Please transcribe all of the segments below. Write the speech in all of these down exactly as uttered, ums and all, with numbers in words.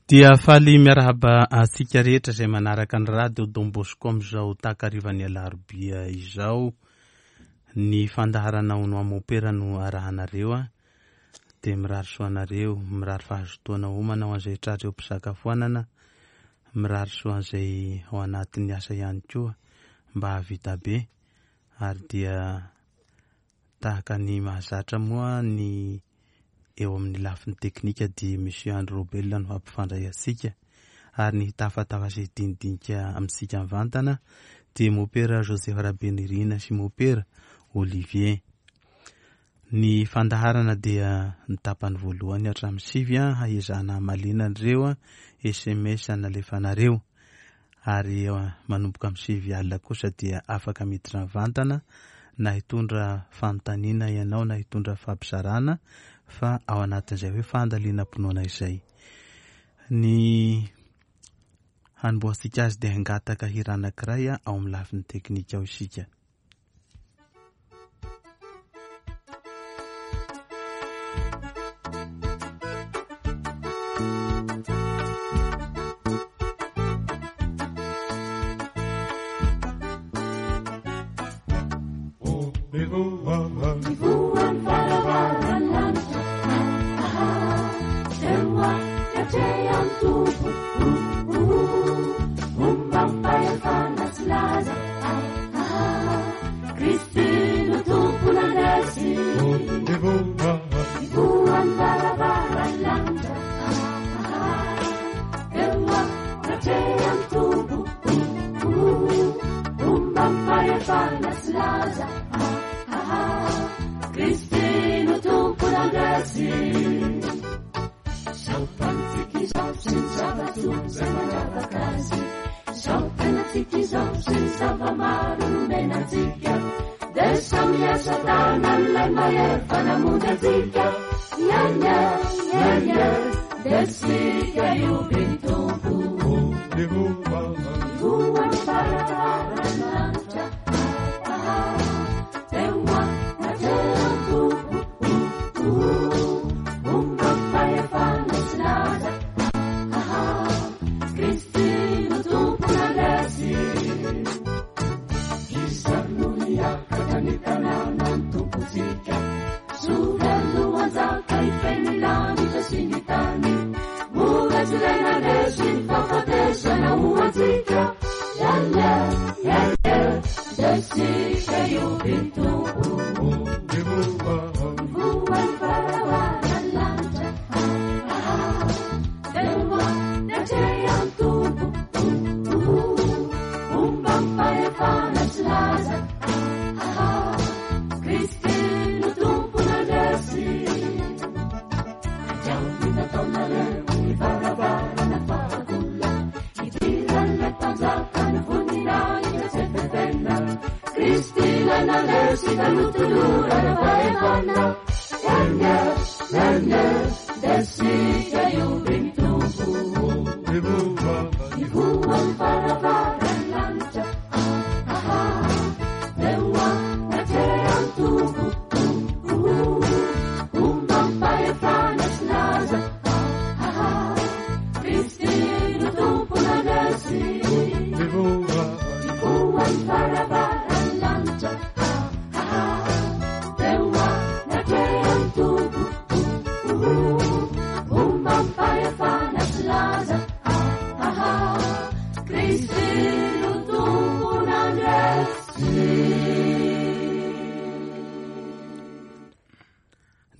Dia faly miarahaba antsika rehetra izay manaraka ny radio Don Bosco amin'izao takarivan'ny alarobia izao. Ny fandaharana Hono Mopera no arahanareo a. Dia mirary soa anareo, mirary fahazotoana homana ho an'izay tratra eo am-pisakafoanana, mirary soa an'izay ao anatin'ny asa ihany koa mba hahavita be. Ary dia tahaka ny mahazatra moa ny eo amin'ny lafiny teknika dia Monsieur Andry Robel no hampifandray antsika, ary ny hitafatafa sy dinidinika amintsika mivantana dia Mopera Joseph Rabenirina sy Mopera Olivier. Ny fandaharana dia ny tapany voalohany hatramin'ny sivy haezahana hamaliana an'ireo S M S nalefanareo, ary manomboka amin'ny sivy alina kosa dia afaka miditra mivantana na hitondra fanontaniana ianao na hitondra fampizarana, fa ao anatin'izay hoe fandalinam-pinoana izay. Ny hanombohantsika azy dia hangataka hira anankiray ao amin'ny lafiny teknika ao isika.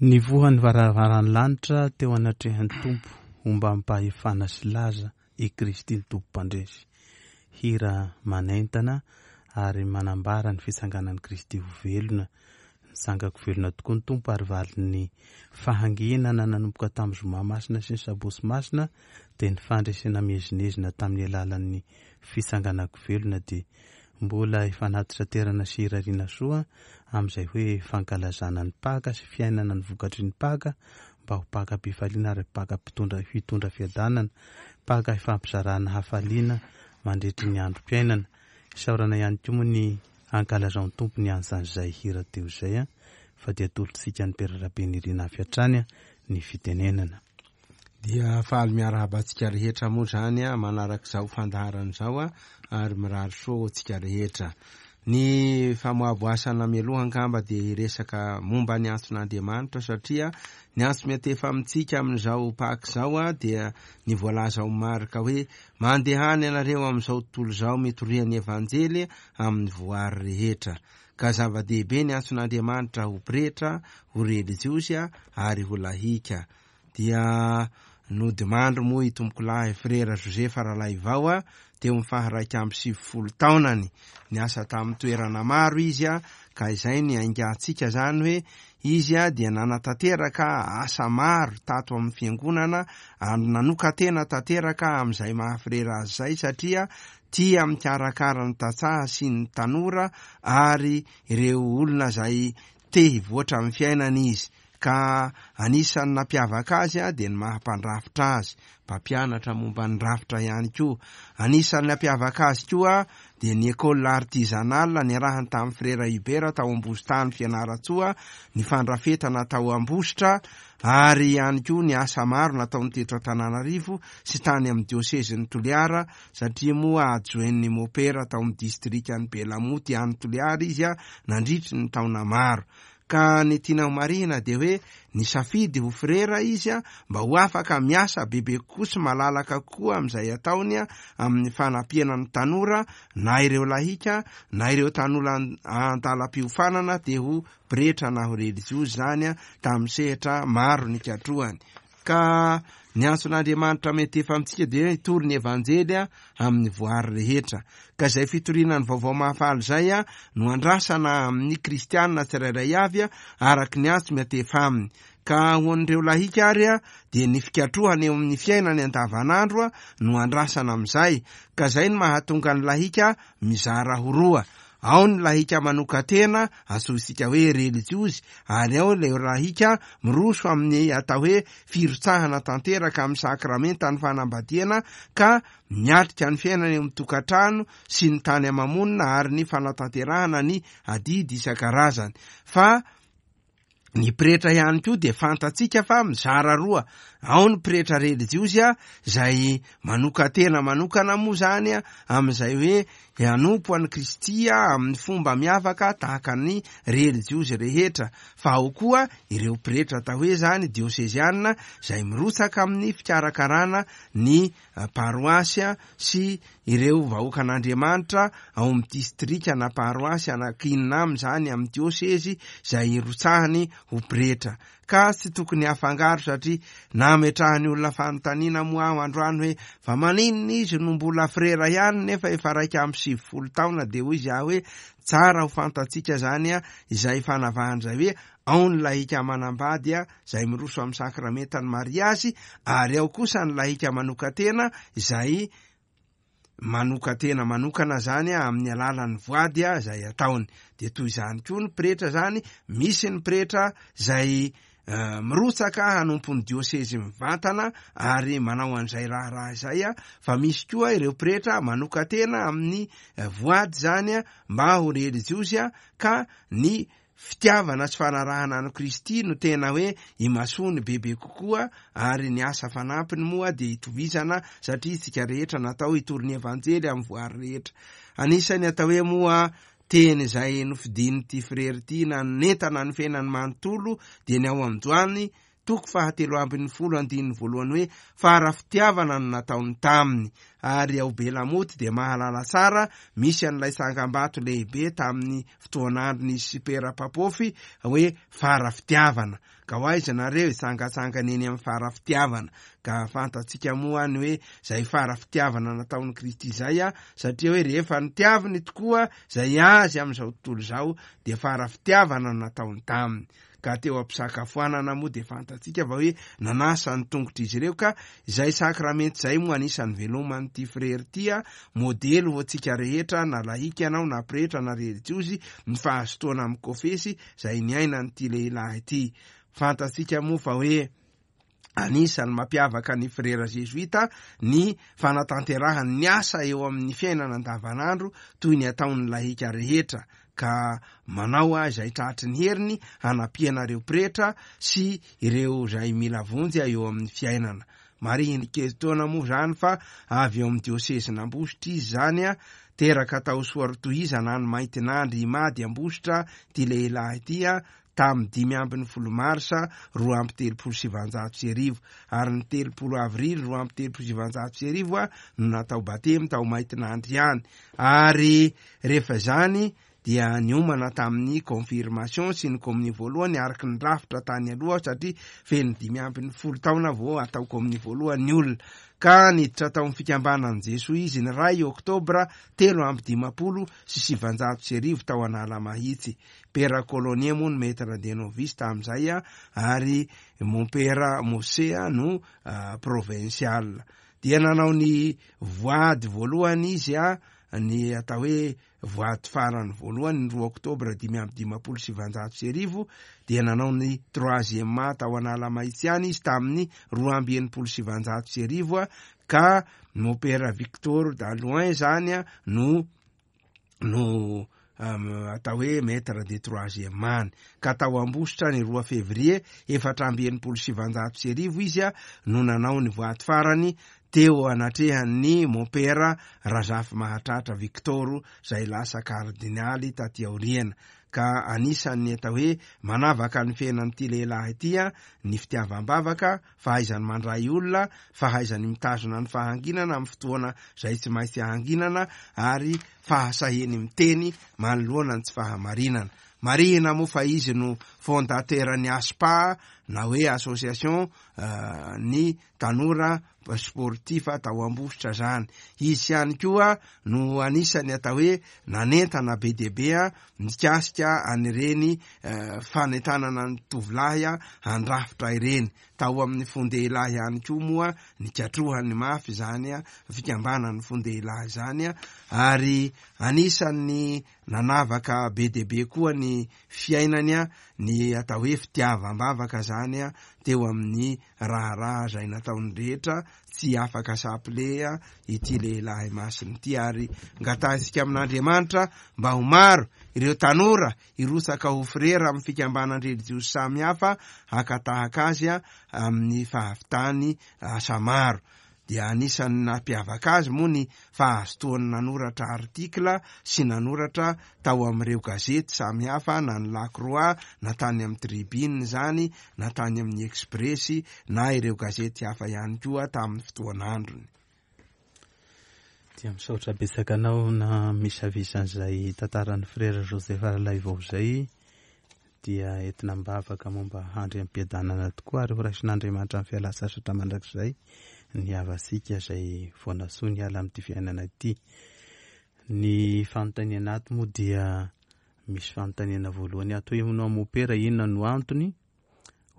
Nivoha ny varavaran'ny lanitra teo anatrehan'ny Tompo ombam-pahefana sy laza i Kristy ny Tompo mpandresy. Hira manentana ary manambara ny fitsanganan'i Kristy ho velona. Nitsangako velona tokoa ny Tompo ary valin'ny fahanginana nanomboka tamin'ny zoma masina sy ny sabotsy masina dia ny fandresena miezinezina tamin'ny alalan'ny fitsanganako velona dia mbola ifanatitra-terana sy irariana soa amin'izay hoe fankalazana ny Paka sy fiainana ny vokatry ny Paka mba ho Pakam-pifaliana ary Paka mpitondra hitondra fiadanana, Paka ifampizarana hafaliana mandritry ny androm-piainana. Isaorana ihany koa moa ny ankalazan'ny Tompo ny ansan'izay hira teo izay a, fa dia atolotsika ny Père Rabenirina avy hatrany ny fitenenana. Dia faly miarahaba antsika rehetra moa zany a manarak'izao fandaharana izao a ary mirary soa antsika rehetra. Ny famoaboasana mialoha angamba dia hiresaka momba ny antson'Andriamanitra, satria ny antso miantefa amintsika amin'izao Paka izao a dia ny voalaza ao Marka hoe mandehana ianareo amin'izao tontolo izao mitoria ny Evanjely amin'ny voary rehetra. Ka zava-dehibe ny antson'Andriamanitra ho pretra, ho relijiozy ary ho lahika. Dia nodimandry moa i tompokolahy Frera Josefa Ralaivao a teo amin'ny faharaika amby sivifolo taonany. Niasa tamin'ny toerana maro izy a ka izay ny aingantsika zany hoe izy a dia nanatanteraka asa maro tato amin'ny fiangonana ary nanokan-tena tanteraka amin'izay maha frera azy izay, satria tia mikarakara ny tantsaha sy ny tanora ary ireo olona izay te hivoatra amin'ny fiainana izy. Ka anisan'ny nampiavaka azy a dia ny maha mpandrafitra azy, mpampianatra momba ny rafitra ihany koa. Anisan'ny nampiavaka azy koa dia ny école artisanale niarahany tamin'ny Frera Hubert tao Ambositany Fianarantsoa, ny fandrafetana tao Ambositra, ary ihany koa ny asa maro nataony teto Antananarivo sy tany amin'ny diosezin'ny Toliara, satria moa adjoint-n'ny mopera tao amin'ny distrikan'i Belamoty any Toliara izy a nandritry ny taona maro. Ka ny tiana ho marihina dia hoe nisafidy ho frera izy a mba ho afaka miasa bebe kokoa sy malalaka kokoa amin'izay ataony a amin'ny fanampiana ny tanora, na ireo lahika na ireo tanora andalam-piofanana te ho pretra na ho relijiozy zany a tamin'ny sehatra maro nikatrohany. Ka ny antson'Andriamanitra mety efa amintsika dia hitory ny Evanjely a amin'ny voary rehetra. Ka izay fitoriana ny vaovao mahafaly izay a no andrasana amin'ny kristianina tsirairay avy a araky ny antso miantefa aminy. Ka ho an'ireo lahika ary a dia ny fikatrohana eo amin'ny fiainany andavanandro a no andrasana amin'izay. Ka izay no mahatonga ny lahika mizara ho roa. Ao ny lahika manokan-tena antsointsika hoe relijiozy, ary ao ilay lahika miroso amin'ny atao hoe firotsahana tanteraka amin'ny sakramentan'ny fanambadiana, ka miatrika ny fiainana eo amin'ny tokantrano sy ny tany ama-monina ary ny fanatanterahana ny adidy isan-karazany. Fa ny pretra ihany koa dia fantatsika fa mizara roa. Ao ny pretra relijiozy a izay manokan-tena manokana moa zany a amin'izay hoe hanompo an'i Kristy a amin'ny fomba miavaka tahaka ny relijiozy rehetra. Fa ao koa ireo pretra atao hoe zany diosezianina izay mirotsaka amin'ny fikarakarana ny paroasy sy ireo vahoakan'Andriamanitra ao amin'ny distrika na paroasy anankinina aminy zany amin'ny diosezy izay irotsahany ho pretra. Ka tsy tokony hafangaro, satria nametrahany olona fanontaniana moa aho androany hoe fa maninona izy no mbola frera ihany nefa efa raika amby sivifolo taona. Dia hoy izy aho hoe tsara ho fantatsika zany a izay fanavahana izay hoe ao ny lahika manambady a izay miroso amin'ny sakramentan'ny mariazy, ary ao kosa ny lahika manokan-tena izay manokan-tena manokana zany a amin'ny alalan'ny voady a izay ataony. Dia toy izany koa ny pretra zany, misy ny pretra izay mirotsaka hanompo ny diosezy mivantana ary manao an'izay raharaha izay a, fa misy koa ireo pretra manokan-tena amin'ny voady zany a mba ho relijiozy a, ka ny fitiavana sy fanarahana an'i Kristy no tena hoe imasoany bebe kokoa, ary ny asa fanampiny moa dia itovizana, satria isika rehetra natao hitory ny Evanjely amin'ny voary rehetra. Anisan'ny atao hoe moa teny izay nofidin'ity frera ity na nentana ny fiainany manontolo dia ny ao amin'ny Joany toko fahatelo ambin'ny folo andininy voalohany hoe fara fitiavana no nataony taminy. Ary ao Belamoty dia mahalala tsara misy an'ilay tsangambato lehibe tamin'ny fotoan'andron'izy sy Pera Papofy hoe fara fitiavana. Ka ho aiza nareo hitsangatsangana eny amin'ny fara fitiavana? Ka fantatsika moa ny hoe izay fara fitiavana nataon'i Kristy izay a, satria hoe rehefa nitiaviny tokoa izay azy amin'izao tontolo izao dia fara fitiavana no nataony taminy. Ka teo am-pisakafoanana moa dia fantatsika fa hoe nanasa ny tongotr'izy ireo, ka izay sakramenta izay moa anisan'ny veloman'ity frera ity a, modely ho antsika rehetra, na lahika ianao na pretra na relijiozy, ny fahazotoana amin'ny kofesy izay niainan'ity lehilahy ity. Fantatsika moa fa hoe anisan'ny mampiavaka ny frera jesuita ny fanatanterahany ny asa eo amin'ny fiainana andavanandro toy ny ataon'ny lahika rehetra, ka manao a izay tratry ny heriny hanampiana ireo pretra sy ireo izay mila vonjy eo amin'ny fiainana. Marihiny kely taona moa zany fa avy eo amin'ny diosezin'Ambositra izy zany a, teraka tao Soarotohizana any Maintinandry Imady Ambositra ty lehilahy ity a, tamin'ny dimy ambin'ny folo marsa roa amby telopolo sivanjato sy arivo, ary ny telopolo avrily roa amby telopolo sivanjato sy arivo a no natao batemy tao Maintinandry ihany. Ary rehefa zany dia niomana tamin'ny confirmation sy ny kominio voalohany araky ny rafitra tany aloha, satria feno dimy ambin'ny folo taona vao atao kominio voalohany ny olona. Ka niditra tao amin'ny fikambanan'i Jesoa izy ny ray oktobra telo amby dimampolo sy sivanjato sy arivo tao Analamahitsy. Père Colonie moa no maître de novice tamin'izay a, ary mompera Mosea no provincial. Dia nanao ny voady voalohany izy a, ny atao hoe voady farany voalohany ny roa oktobra dimy amby dimampolo sivanjato sy arivo. Dia nanao ny troisième tao Analamahitsy ihany izy tamin'ny roa amby enimpolo sivanjato sy arivo a, ka mompera Victor Daloin zany a no no atao hoe maître de troisième any. Ka tao Ambositra ny roa février efatra amby enimpolo sivanjato sy arivo izy a no nanao ny voady farany teo anatrehan'ny mompera Razafy Mahatratra Victor, zay lasa kardinaly taty aoriana. Ka anisan'ny atao hoe manavaka ny fiainan'ity lehilahy ity a ny fitiavam-bavaka, fahaizany mandray olona, fahaizany mitazona ny fahanginana amin'ny fotoana zay tsy maintsy ahanginana, ary fahasahiny miteny manoloana ny tsy fahamarinana. Marihina moa fa izy no fondateur ny ASPA, na hoe association ny tanora sportif tao Ambositra zany. Izy ihany koa no anisany atao hoe nanentana be dia be a mikasika an'ireny fanentanana ny tovolahy a handrafitra ireny. Tao amin'ny fondehilahy ihany koa moa nikatrohany mafy zany a, fikambanan'ny fondehilahy zany a, ary anisan'ny nanavaka be dia be koa ny fiainany a ny atao hoe fitiavam-bavaka zany a teo amin'ny raharaha zay nataony rehetra. Tsy afaka saple a ity lehilahy masina ity, ary ngatahintsika amin'Andriamanitra mba ho maro ireo tanora hirotsaka ho frera amin'ny fikambanan-drelijiozy samihafa hakatahaka azy a amin'ny fahavitany asa maro. Dia anisan'ny nampiavaka azy moa ny fahazotoany nanoratra artikla sy nanoratra tao amin'ireo gazety samihafa, na ny La Croix, na tany amin'ny Tribune zany, na tany amin'ny Express, na ireo gazety hafa ihany koa tamin'ny fotoan'androny. Dia misaotra betsaka anao na misavisan'izay tantaran'ny frera Joseph Ralaivao zay, dia entina am-bavaka momba handry am-piadanana tokoa, ary ho raisin'Andriamanitra amin'ny fialan-tsasatra mandrakizay ny havasika izay voanasoa ny ala amin'ity fiainana ity. Ny fanontaniana ato moa dia misy fanontaniana voalohany ato hoe hono mopera inona no antony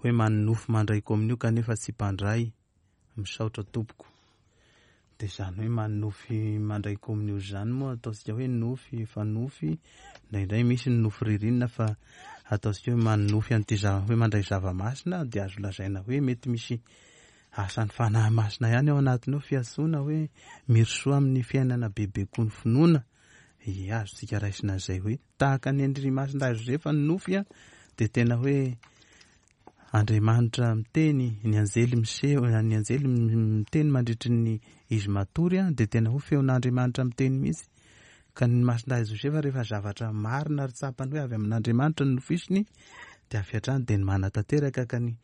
hoe manonofy mandray kominio kanefa tsy mpandray? Misaotra tompoko. Dia izany hoe manonofy mandray kominio izany moa ataontsika hoe nofy efa nofy, indraindray misy ny nofy ririnina, fa ataontsika hoe manonofy an'ity zava hoe mandray zava-masina dia azo lazaina hoe mety misy asan'ny fanahy masina ihany ao anatiny ao, fiantsoana hoe mirosoa amin'ny fiainana bebe koa ny finoana. Ie, azontsika raisina an'izay hoe tahaka ny Andry Masina Josefa ny nofy a, dia tena hoe Andriamanitra miteny, ny anjely miseho, ny anjely miteny mandritry ny izy matory a, dia tena ho feon'Andriamanitra miteny mihitsy. Ka ny Masina Josefa rehefa zavatra marina ary tsapany hoe avy amin'Andriamanitra ny nofisiny, dia avy hatrany dia ny manatanteraka. Ka ny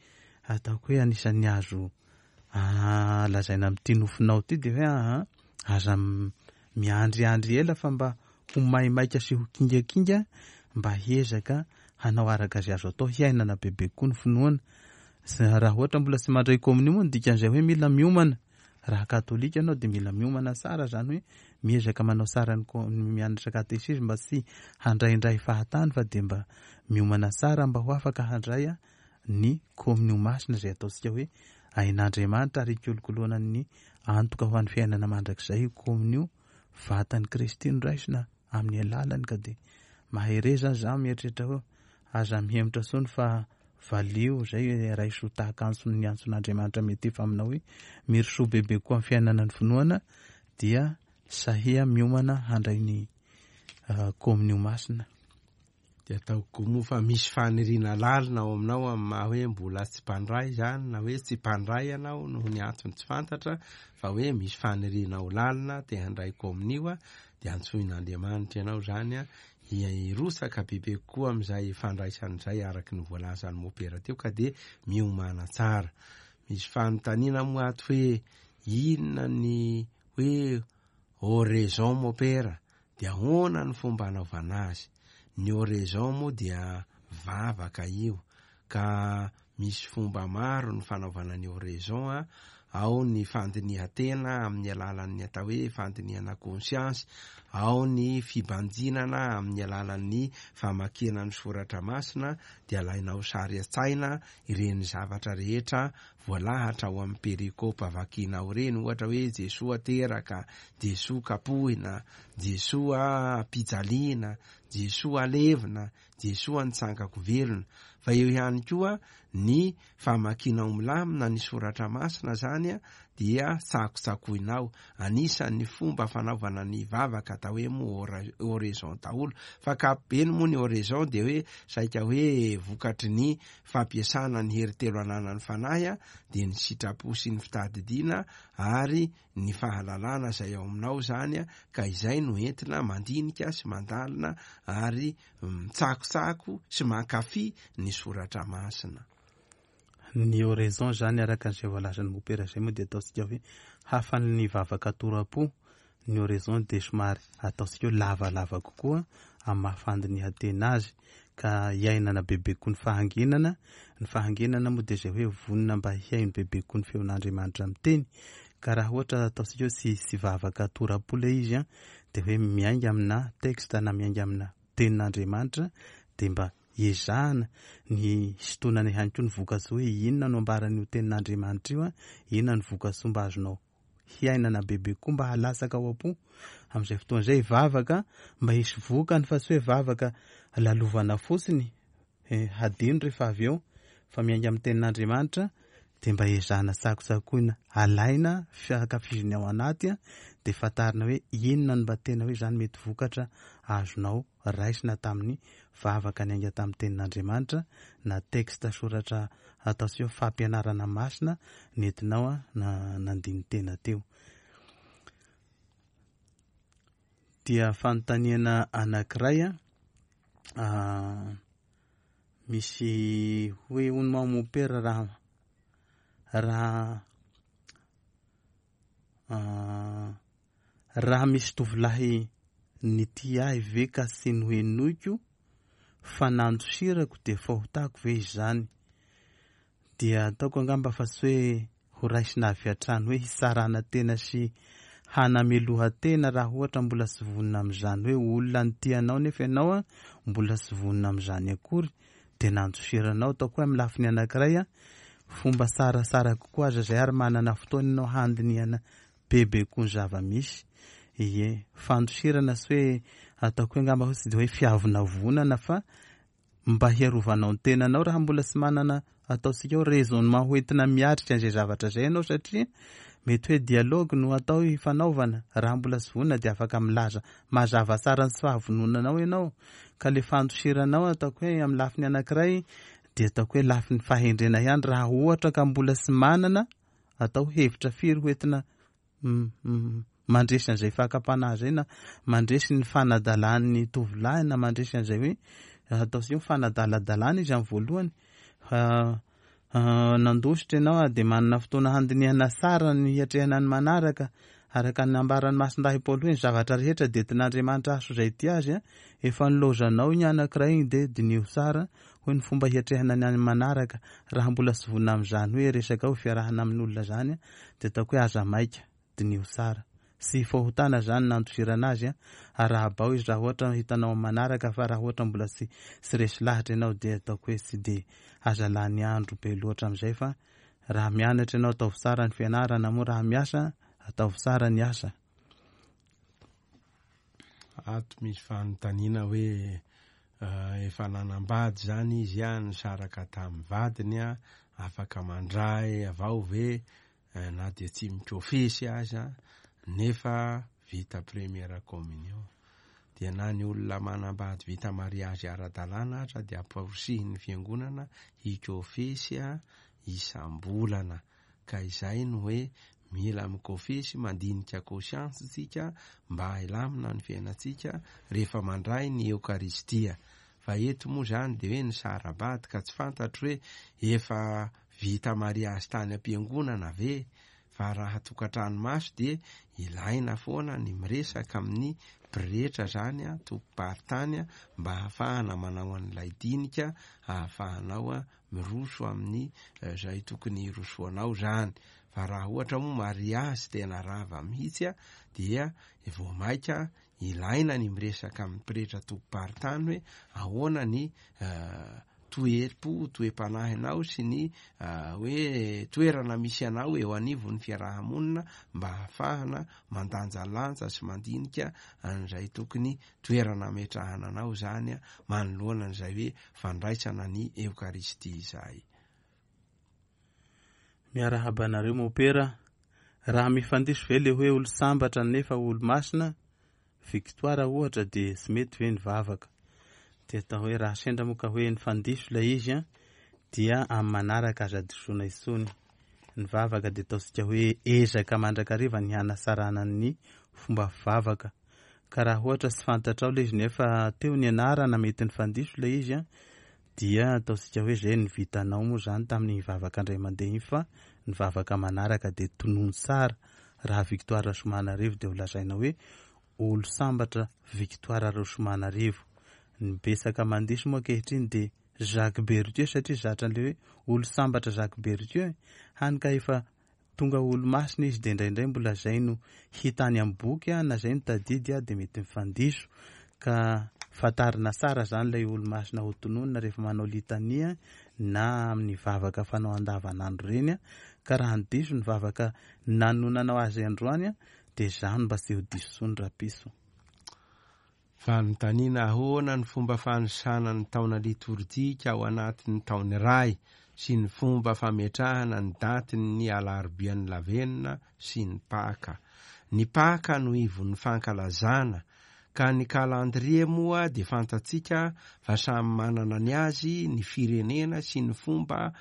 ataoko hoe anisan'ny azo lazaina amin'ity nofinao ity dia hoe aha, aza miandriandry ela fa mba ho maimaika sy ho kingakinga, mba hiezaka hanao araka izay azo atao hiainana bebe koa ny finoana. Raha ohatra mbola tsy mandray kominio moa ny dikan'izay hoe mila miomana. Raha katolika ianao dia mila miomana tsara, zany hoe miezaka manao tsara ny mianatra katesizy mba tsy handraindray fahatany, fa dia mba miomana tsara mba ho afaka handray ny kominio masina izay ataontsika hoe ain'Andriamanitra ary ikolokoloana ny antoka ho an'ny fiainana mandrakizay io kominio, vatan'i Kristy no raisina amin'ny alalany. Ka dia mahereza za mieritreritra hoe aza mihemotra intsony fa valio zay raiso tahaka antson'ny antson'Andriamanitra mety efa aminao hoe mirosoa bebe koa amin'ny fiainana ny finoana, dia sahia miomana handray ny kominio masina. De ataoko moa fa misy faniriana lalina ao aminao amin'ny maha hoe mbola tsy mpandray zany, na hoe tsy mpandray ianao noho ny antony tsy fantatra, fa hoe misy faniriana ao lalina te handray komonio a, de antsoin'Andriamanitra ianao zany a hirotsaka bebe kokoa amin'izay fandraisan'izay araky ny voalazan'ny mopera teo, ka de miomana tsara. Misy fanontaniana moa ato hoe inona ny hoe oraison mopera, de ahoana ny fomba anaovana azy? Ny oraison moa dia vavaka io, ka misy fomba maro ny fanaovana ny oraison a. Ao ny fandinihan-tena amin'ny alalan'ny atao hoe fandinihana conscience, ao ny fibanjinana amin'ny alalan'ny famakiana ny soratra masina, de alainao sary an-tsaina ireny zavatra rehetra voalahatra ao amin'ny perikopa vakinao ireny, ohatra hoe Jesoa teraka, Jesoa kapohina, Jesoa ampijaliana, Jesoa alevina, Jesoa nitsangako velona. Fa eo ihany koa ny famakianao milamina ny soratra masina zany a, dia tsakotsakoinao. Anisan'ny fomba fanaovana ny vavaka atao hoe moa oraison daholo, fa ankapobeny moa ny oraison de hoe saika hoe vokatry ny fampiasana ny hery telo ananan'ny fanahy a, de ny sitrapo sy ny fitadidiana ary ny fahalalana izay ao aminao zany a, ka izay no entina mandinika sy mandalina ary mitsakotsako sy mankafy ny soratra masina. Ny oraison zany araka an'izay voalazan'ny mopera izay moa dia ataontsika hoe hafan'ny vavaka tora-po. Ny oraison dia somary ataontsika hoe lavalava kokoa amin'ny maha fandinihan-tena azy, ka iainana bebe kokoa ny fahanginana. Ny fahanginana moa dia izay hoe vonona mba hihaino bebe kokoa ny feon'Andriamanitra miteny. Ka raha ohatra ataontsika hoe tsy, tsy vavaka tora-po ilay izy a, dia hoe miainga amina texte na miainga amina tenin'Andriamanitra, dia mba ezahana ny hisintonana ihany koa ny vokatsoa hoe inona no ambaran'io tenin'Andriamanitra io a, inona ny vokatsoa mba azonao hiainana bebe kokoa mba halatsaka ao am-po. Amin'izay fotoana izay vavaka mba hisy vokany, fa tsy hoe vavaka lalovana fotsiny, eh, hadino rehefa avy eo, fa miainga amin'ny tenin'Andriamanitra dia mba ezahana tsakotsakoina, alaina fiankafiziny ao anaty a, dia fantarina hoe inona no mba tena hoe izany mety vokatra azonao raisina tamin'ny vavaka niainga tamin'ny tenin'Andriamanitra na texte soratra atao sy hoe fampianarana masina nentinao a, na nandiny tena teo. Dia fanontaniana anankiray a, ah, misy hoe hono moa mopera raha, raha, ah, raha misy tovolahy nitia ahy ve ka tsy nohenoiko fa nandosirako dia fahotako ve izany? Dia ataoko angamba fa tsy hoe ho raisina avy hatrany hoe hitsarana tena sy hanameloha tena raha ohatra mbola tsy vonona amin'izany, hoe olona nitia anao nefa ianao a mbola tsy vonona amin'izany akory dia nandosiranao. Ataoko hoe amin'ny lafiny anankiray a, fomba tsaratsara kokoa aza izay, ary manana fotoana ianao handinihana bebe koa ny zava-misy. Ie, fandosirana tsy hoe ataoko hoe angamba hoe tsy dia hoe fiavonavonana, fa mba hiarovanao ny tenanao raha mbola tsy manana ataontsika hoe raisonnement hoentina miatrika an'izay zavatra izay ianao, satria mety hoe dialogue no atao hifanaovana. Raha mbola tsy vonona dia afaka milaza mazava tsara ny tsy fahavononanao ianao, ka le fandosiranao ataoko hoe amin'ny lafiny anankiray dia ataoko hoe lafiny fahendrena ihany raha ohatra ka mbola tsy manana atao hevitra firy hoentina m-, m-, mandresy an'izay fakam-panahy izay, na mandresy ny fanadalan'ny tovolahy, na mandresy an'izay hoe atao sy hoe fanadaladalana izy amin'ny voalohany. Fa, ah, nandositra ianao dia manana fotoana handinihana tsara ny hiatrehana ny manaraka, araka ny nambaran'ny Masindahy Paoly hoe ny zavatra rehetra dia entin'Andriamanitra hahazo izay tia azy a, efa nilaozanao iny anankiray iny dia diniho tsara hoe ny fomba hiatrehana ny any manaraka. Raha mbola tsy vonona amin'izany hoe resaka hoe fiarahana amin'olona izany a, dia ataoko hoe aza maika, diniho tsara. Tsy fahotana zany nandosirana azy a, arahabao izy raha ohatra hitanao amin'ny manaraka, fa raha ohatra mbola tsy, tsy resy lahatra ianao dia ataoko hoe tsy dia aza lany andro be loatra amin'izay, fa raha mianatra ianao ataovy tsara ny fianarana, moa raha miasa ataovy tsara ny asa. Ato misy fanontaniana hoe, eh, efa nanambady zany izy a, nisaraka tamin'ny vadiny a, afaka mandray avao ve, eh, na dia tsy mikofesy aza, nefa vita première communion. dia na ny olona manambady vita mariazy ara-dalàna aza dia amporisihin'ny fiangonana hikofesy a isam-bolana. Ka izay no hoe mila mikofesy, mandinika conscience tsika mba hilamina ny fiainantsika rehefa mandray ny Eokaristia. Fa eto moa zany de hoe ny sarabady ka tsy fantatro hoe efa vita mariazy tany am-piangonana ve, fa raha tokantrano maso de ilaina foana ny miresaka amin'ny pretra zany a, tompom-paritany a, mba ahafahana manao an'ilay dinika, ahafahanao a miroso amin'ny zay tokony hirosoanao zany. Fa raha ohatra moa mariazy tena rava mihitsy a, dia vao maika ilaina ny miresaka amin'ny pretra tompom-paritany hoe ahoana ny toe-po, toe-panahinao sy ny hoe toerana misy anao eo anivon'ny fiarahamonina mba ahafahana mandanjalanja sy mandinika an'izay tokony toerana ametrahana anao zany a, manoloana an'izay hoe fandraisana ny Eokaristia izay. Miarahaba anareo mopera. Raha mifandiso ve le hoe olo sambatra nefa olo masina, Victoire ohatra, de tsy mety ve ny vavaka? De atao hoe raha sendra moa ka hoe nifandiso ilay izy a, dia amin'ny manaraka aza disoana intsony. Ny vavaka de ataontsika hoe ezaka mandrakariva ny hanasarana ny fomba fivavaka. Ka raha ohatra tsy fantatrao ilay izy nefa teo ny anarana mety nifandiso ilay izy a, dia ataontsika hoe zay ny vitanao moa zany tamin'ny vavaka indray mandeha iny, fa ny vavaka manaraka de tonony tsara. Raha Victoire Rasoamanarivo de ho lazaina hoe olo sambatra Victoire Rasoamanarivo. Ny betsaka mandiso moa ankehitriny de Jacques Berthieu, satria zatra an'ilay hoe olo sambatra Jacques Berthieu, hany ka efa tonga olo masina izy, de indraindray mbola zay no hita any amin'ny boky a, na zay no tadidy a, de mety mifandiso. Ka fantarina tsara zany ilay olo masina ho tononina rehefa manao litania na amin'ny vavaka fanao andavanandro reny a. Ka raha ny diso ny vavaka nanonanao azy androany a, de zany mba tsy ho diso intsony rapiso. Fanontaniana: ahoana ny fomba fanisana ny taona litorjika ao anatin'ny taona iray sy ny fomba fametrahana ny datin'ny alarobian'ny lavenona sy ny Paka? Ny Paka no ivon'ny fankalazana, ka ny kalandrie moa de fantatsika fa samy manana ny azy ny firenena sy ny fomba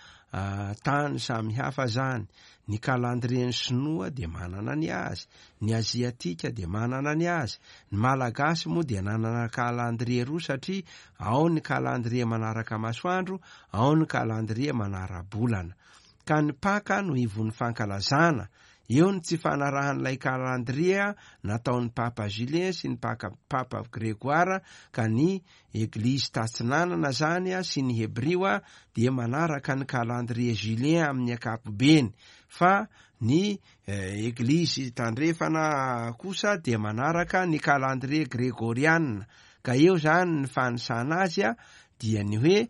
tany samy hafa zany. Ny kalandrien'ny sinoa de manana ny azy, ny aziatika de manana ny azy, ny malagasy moa de nanana kalandrie roa, satria ao ny kalandrie manaraka masoandro, ao ny kalandrie manara-bolana. Ka ny Paka no ivon'ny fankalazana. Eo ny tsy fanarahan'ilay kalandrie nataon'ny Papa Julien sy ny Paka Papa Grégoire, ka ny Eglizy tatsinanana zany a sy ny Hebrio a dia manaraka ny kalandrie Julien amin'ny ankapobeny, fa ny eh, Eglizy tandrefana kosa dia manaraka ny kalandrie gregoriana. Ka eo zany ny fanisana azy a dia ny hoe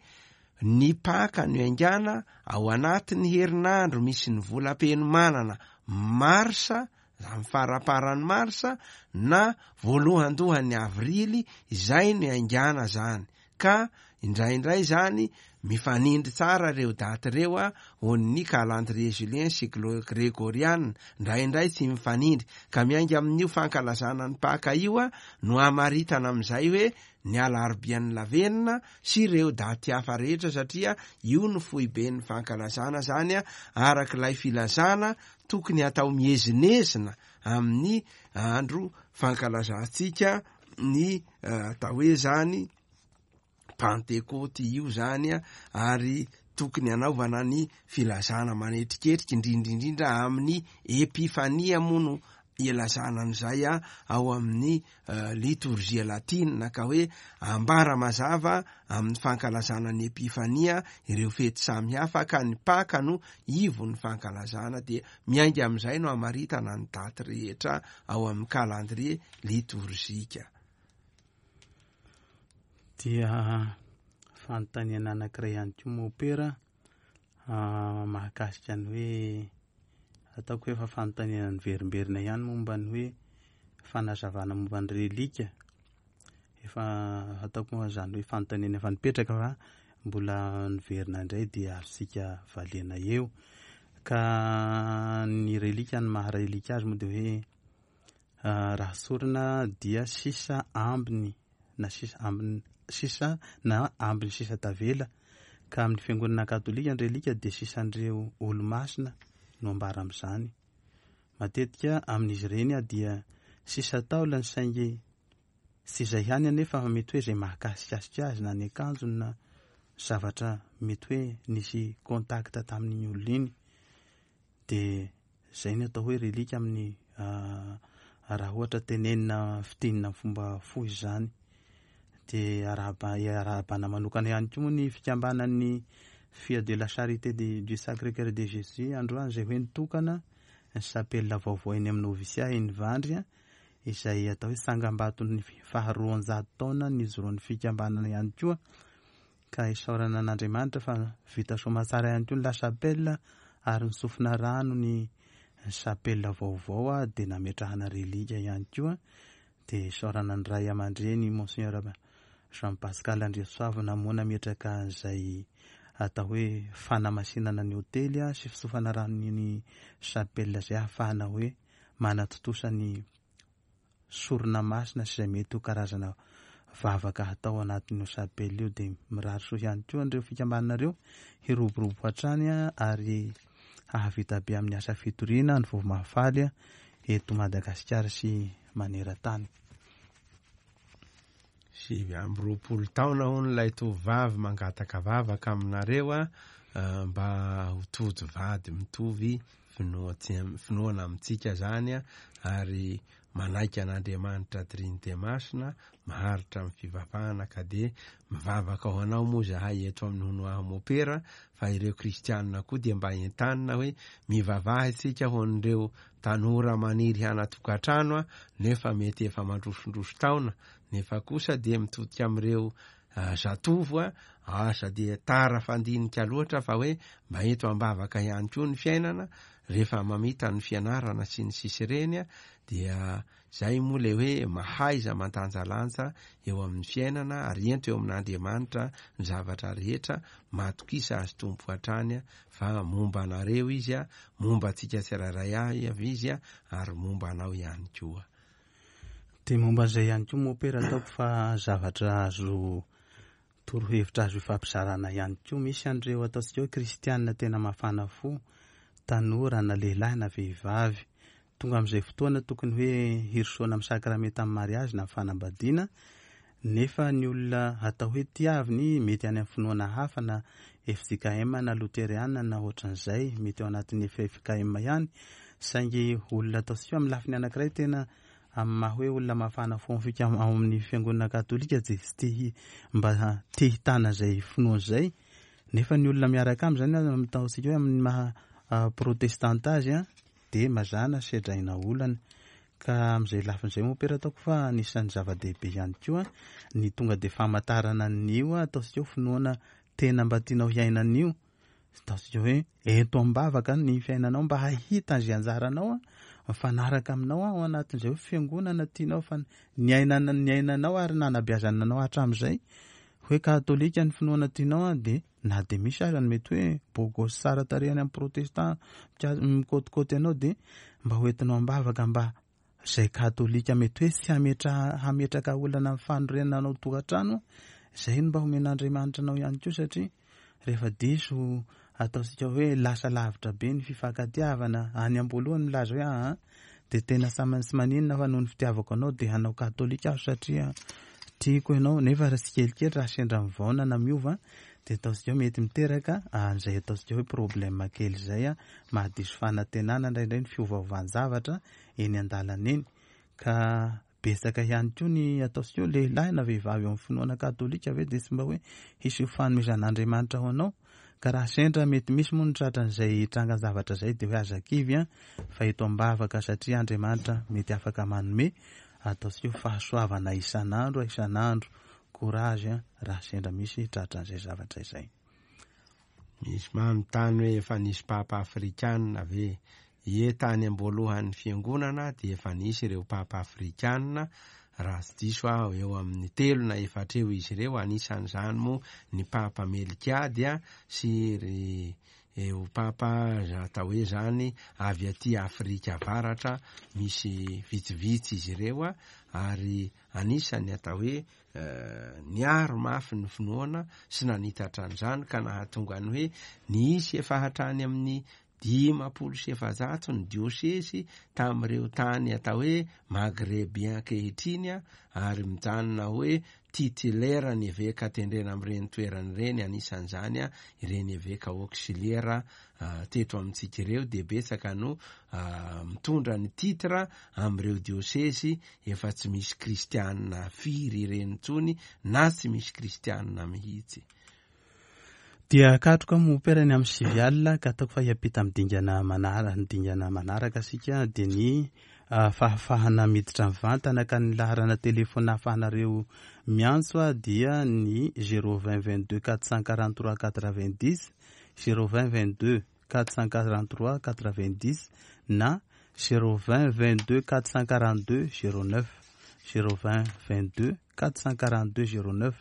ny Paka no iangana ao anatin'ny herinandro misy ny volam-penomanana, marsa, amin'ny faraparany marsa na voalohandohan'ny avrily, izay no iangana zany. Ka indraindray zany mifanindry tsara reo daty reo a ny calendrier julien sy gregoriana, indraindray tsy mifanindry. Ka miainga amin'io fankalazana ny Paka io a no amaritana amin'izay hoe ny alarobian'ny lavenona sy ireo daty hafa rehetra, satria io no foiben'ny fankalazana zany a, arak'ilay filazana tokony atao miezinezina amin'ny andro fankalazantsika ny atao hoe zany Pantekoty io zany a, ary tokony anaovana ny filazana manetriketriky indrindraindrindra amin'ny Epifania moa no ilazana an'izay a ao amin'ny litorjia latina, ka hoe ambara mazava amin'ny fankalazana ny Epifania ireo fety samy hafa, ka ny Paka no ivon'ny fankalazana, de miainga amin'izay no amaritana ny daty rehetra ao amin'ny calendrier litorzika. Dia fanontaniana anankiray ihany koa mopera, mahakasika ny hoe ataoko hoe efa fanontaniana niverimberina ihany momba ny hoe fanazavana momba ny relika. Efa ataoko moa zany hoe fanontaniana efa nipetraka fa mbola niverina indray, dia azontsika valiana eo. Ka ny relika, ny maha relika azy moa de hoe Raha sorona dia sisa ambiny na sisa ambiny sisa na ambiny sisa tavela, ka amin'ny fiangonana katolika ny relika dia sisan'ireo olo-masina no ambara amin'izany. Matetika amin'izy ireny dia sisa taolany, saingy tsy izay ihany anefa fa mety hoe izay mahakasikasika azy na ny akanjony na zavatra mety hoe nisy contact tamin'iny olona iny, dia izay ny atao hoe relika amin'ny raha ohatra tenenina fitinina fomba fohy izany. Dia arahaba arahabana manokana ihany koa moa ny fikambanan'ny Filles de la Charité du Sacré-Cœur de Jésus androany, izay hoe nitokana ny chapelle vaovao eny amin'ny novisia eny Ivandry, izay atao hoe tsangambaton'ny faharoanjato taona nijoroan'ny fikambanana ihany koa, ka isaorana an'Andriamanitra fa vita soamantsara ihany koa ny la chapelle ary nisofina rano ny chapelle vaovao, dia nametrahana relika ihany koa. Dia isaorana ny ray aman-dreny Monseigneur Jean Pascal Andriasoavina moa nametraka izay atao hoe fanamasinana ny hotely sy fisofana rano ny chapelle izay ahafahana hoe manatontosa ny sorona masina sy izay mety ho karazana vavaka hatao anatin'io chapelle io. Dia mirary soa ihany koa an'ireo fikambananareo hiroborobo hatrany ary hahavita be amin'ny asa fitoriana ny vaovao mahafaly eto Madagasikara sy maneran-tany. Sivy amby roapolo taona hono ilay tovovavy mangataka vavaka aminareo a mba ho tojo vady mitovy finoana amintsika zany a, ary manaiky an'Andriamanitra Trinite Masina, maharitra amin'ny fivavahana, ka dia mivavaka ho anao moa zahay eto amin'ny Hono Aho Mopera, fa ireo kristianina koa dia mba entanina hoe mivavaha isika ho an'ireo tanora maniry hanatokantrano a, nefa mety efa mandrosondroso taona, nefa kosa dia mitodika amin'ireo zatovo a, asa dia tara fandinika loatra fa hoe mba eto ambavaka ihany koa ny fiainana rehefa mamita ny fianarana sy ny sisy ireny a, dia zay moa le hoe mahaiza mandanjalanja eo amin'ny fiainana ary ento eo amin'Andriamanitra ny zavatra rehetra, matokisa azy Tompo hatrany a, fa momba anareo izy a, momba antsika tsirairay avy izy a, ary momba anao ihany koa. Dia momba izay ihany koa mopera ataoko fa zavatra azo torohevitra azo ifampizarana ihany koa. Misy an'ireo ataontsika hoe kristianina tena mafana fo, tanora na lehilahy na vehivavy, tonga amin'izay fotoana tokony hoe hirosoana amin'ny sakramenta amin'ny mariazy na fanambadiana, nefa ny olona atao hoe tiaviny mety any amin'ny finoana hafa na F J K M na Luteriana na ohatran'izay, mety ao anatin'ny F K M ihany, saingy olona ataontsika amin'ny lafiny anankiray tena amin'ny maha hoe olona mafana fo ao amin'ny fiangonana katolika dia tsy te hi-, mba te hitana izay finoana izay, nefa ny olona miaraka aminy izany ataontsika hoe amin'ny maha protestanta azy a, dia mazàna sedraina olana. Ka amin'izay lafin'izay moa pera ataoko fa anisan'ny zava-dehibe ihany koa ny tonga dia famantarana an'io ataontsika hoe finoana tena mba tianao hiainan'io, ataontsika hoe ento am-bavaka ny fiainanao mba hahita izay anjaranao mifanaraka aminao ao anatin'izay hoe fiangonana tianao fa niainana, niainanao ary nanabeazana anao hatramin'izay hoe katolika ny finoana tianao, dia na dia misy aza ny mety hoe bogosy tsara tarehy any amin'ny protestant mikôtikôty anao, dia mba hoentinao am-bavaka mba izay katolika mety hoe tsy hametra-, hametraka olana amin'ny fanorenana anao tokantrano, izay no mba homen'Andriamanitra anao ihany koa, satria rehefa diso ataontsika hoe lasa lavitra be ny fifankatiavana any am-boalohany milaza hoe aa dia tena samy tsy maninona fa noho ny fitiavako anao dia hanao katolika aho satria tiako ianao, nefa raha tsikelikely raha sendra mivaona na miova dia ataontsika hoe mety miteraka an'izay ataontsika hoe problème kely izay a, mahadiso fanantenana indraindray ny fiovaovan-javatra eny an-dalana eny. Ka betsaka ihany koa ny ataontsika hoe lehilahy na vehivavy eo amin'ny finoana katolika ve dia tsy mba hoe hisy fanomezan'Andriamanitra ho anao, ka raha sendra mety misy moa ny tratran'izay trangan-javatra izay dia hoe aza kivy a, fa eto am-bavaka satria Andriamanitra mety afaka manome ataontsika hoe fahasoavana isan'andro isan'andro. Courage a, raha sendra misy tratran'izay zavatra izay. Misy manontany hoe efa nisy papa afrikanina ve? Ie, tany am-boalohan'ny fiangonana dia efa nisy ireo papa afrikanina, raha tsy diso aho eo amin'ny telo na efatra eo izy ireo, anisan'izany moa ny papa Melkiady sy ry ho papa atao hoe zany avy aty Afrika Avaratra, misy vitsivitsy izy ireo a, ary anisany atao hoe niaro mafy ny finoana sy nanitatra an'izany ka nahatonga ny hoe nisy efa hatrany amin'ny dimampolo sy efajato ny diosesy tamin'ireo tany atao hoe Magrebien ankehitriny a, ary mijanona hoe titulaire ny eveka tendrena amin'ireny toerana ireny, anisan'izany a ireny eveka auxiliaire teto amintsika ireo dia betsaka no mitondra ny titre amin'ireo diosesy efa tsy misy kristianina firy ireny intsony na tsy misy kristianina mihitsy. Dia katroka mopera ny amin'ny sivy alina ka ataoko fa hiampita amin'ny dingana manaraka, ny dingana manaraka sika dia ny fahafahana miditra mivantana ka ny laharana telefona ahafahanareo miantso a dia ny zéro vingt vingt-deux quatre cent quarante-trois quatre-vingt-dix, zéro vingt vingt-deux quatre cent quarante-trois quatre-vingt-dix na zéro vingt vingt-deux quatre cent quarante-deux zéro neuf, zéro vingt vingt-deux quatre cent quarante-deux zéro neuf.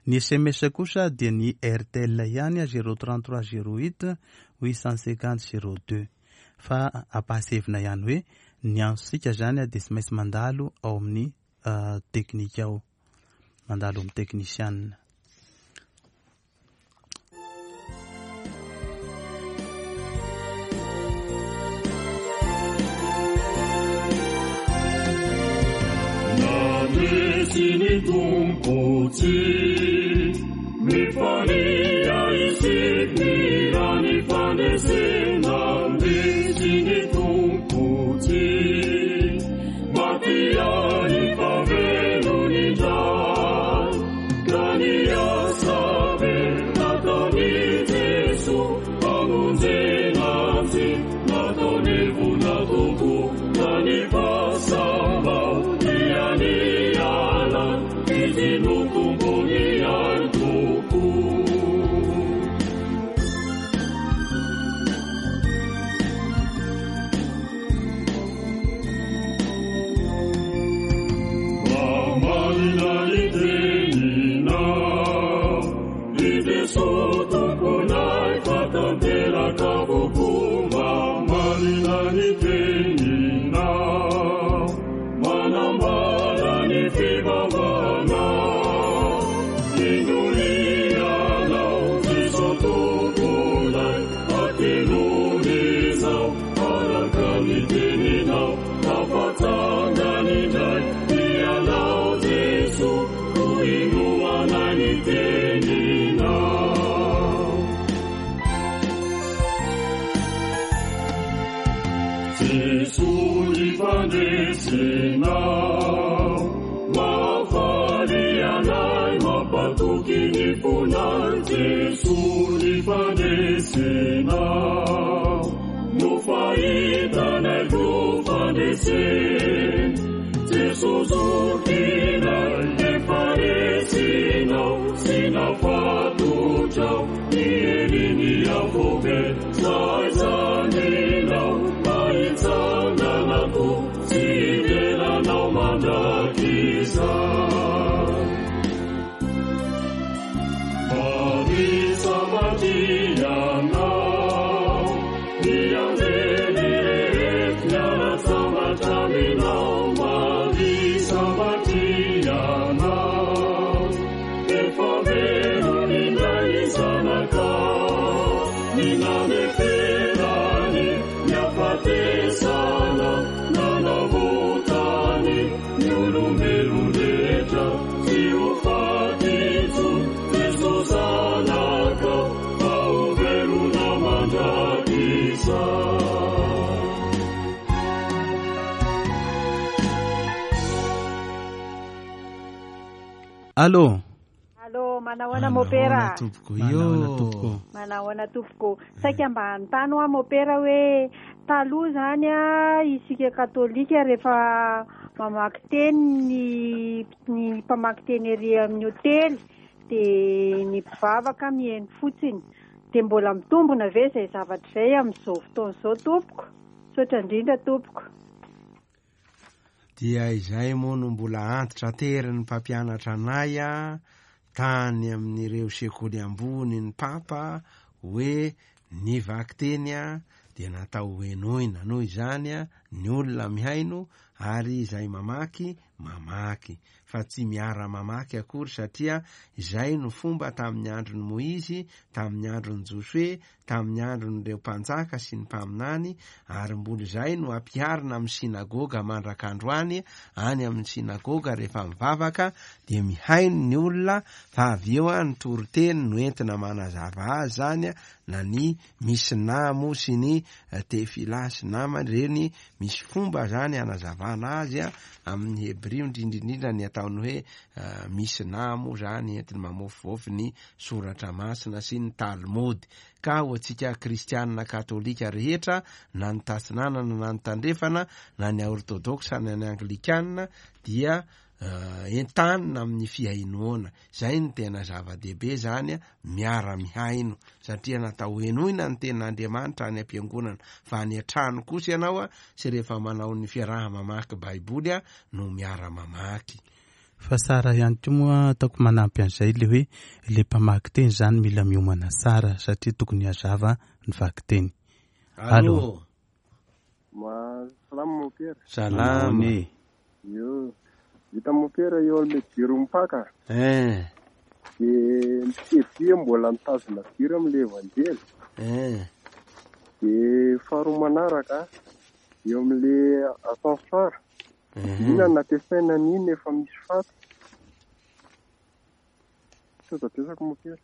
Ny S M S kosa dia ny R T L ihany a zéro trente-trois zéro huit huit cent cinquante zéro deux. Fa ampahasevina ihany hoe ny antsika zany a dia tsy maintsy mandalo ao amin'ny teknika ao, mandalo amin'ny teknisianina. Nandresy Tompo tsy mifalia isika ny fandresena, nandresy ny Tompo tsy maty ny fahavelony indray, ka ny asa be nataon'i Jeso hamonjena azy, nataony vola Tompo ka ny fahasambarana dia ny ala, izy no tompony ihany tokoa. Mamarina ny teninao, i Jeso tomponay fa tanteraka avokoa. Mamarina ny teninao, manambara ny fivavahana. Indro Jeso tomponay, atelomy izao araka ny teninao, tafatsangana indray ianao Jeso, ho inoanay ny teninao. Jeso ny fandresenao, mahafaly anay, mampatoky ny fonay. Jeso ny fandresenao, no fahitanay ko fandresen. Jeso zokinay, efa resinao, sy nafatotrao, ny heriny afobe, zaizaninao, mahitsanganako, tsy ivelanao mandrakizay. Marisa Marianao, ny anjely rehetra miara-tsambatra aminao. Marisa Marianao, efa velona indray ny zanakao, ny naneferany ny hafatesana, nanavotany ny olombelona rehetra tsy ho faty intsony. Jeso zanakao, fa ho velona mandrakizay. Allô. Allô, manahoana mopera? Tompoko Manahoana io. tompoko? Manahoana tompoko? Saika mba hanontany hoa mopera hoe taloha zany a isika katolika rehefa mamaky teny ny, ny mpamaky teny ery amin'ny hotely dia ny mpivavaka mihaino fotsiny, dia mbola mitombona ve izay zavatra izay amin'izao fotoana izao tompoko? Misaotra indrindra tompoko. Dia izay moa no mbola antitra terin'ny mpampianatra anay a tany amin'ireo sekoly ambony ny papa hoe Ny vakiteny a dia natao henoina, noho izany a ny olona mihaino ary izay mamaky mamaky, fa tsy miara-mamaky akory, satria izay no fomba tamin'ny andron'i Moizy, tamin'ny andron'i Josoe, tamin'ny andron'ireo mpanjaka sy ny mpaminany, ary mbola izay no ampiharina amin'ny sinagoga mandrak'androany. Any amin'ny sinagoga rehefa mivavaka dia mihaino ny olona, fa avy eo a ny toriteny no entina manazava azy zany a, na ny misina moa sy ny tefila sy namany reny, misy fomba zany anazavana azy a amin'ny hebrio, indrindrindrindra ny ataony hoe misina moa zany entiny mamofivofy ny soratra masina sy ny talmody. Ka ho antsika kristianina katolika rehetra, na ny tatsinanana na ny tandrefana, na ny ortodoksa na ny anglikanina, dia entanina amin'ny fihainoana. Zay ny tena zava-dehibe zany, miara-mihaino, satria natao henoina ny tenin'Andriamanitra any am-piangonana, fa any an-trano kosa ianao a sy rehefa manao ny fiaraha-mamaky baiboly a no miara-mamaky. Fa tsara ihany koa moa ataoko manampy an'izay le hoe le mpamaky teny zany mila miomana tsara, satria tokony hazava ny vakiteny. Allo. Ma salama mopera. Salama. Io hita mopera eo amin'ny jiro mipaka. Eh. De mpisevia mbola mitazona jiro amin'ilay evanjely. Eh. De faharoa manaraka eo amin'ilay ascenseur. Inona no nampiasaina an'iny efa misy faty? Sao betsaka mopera.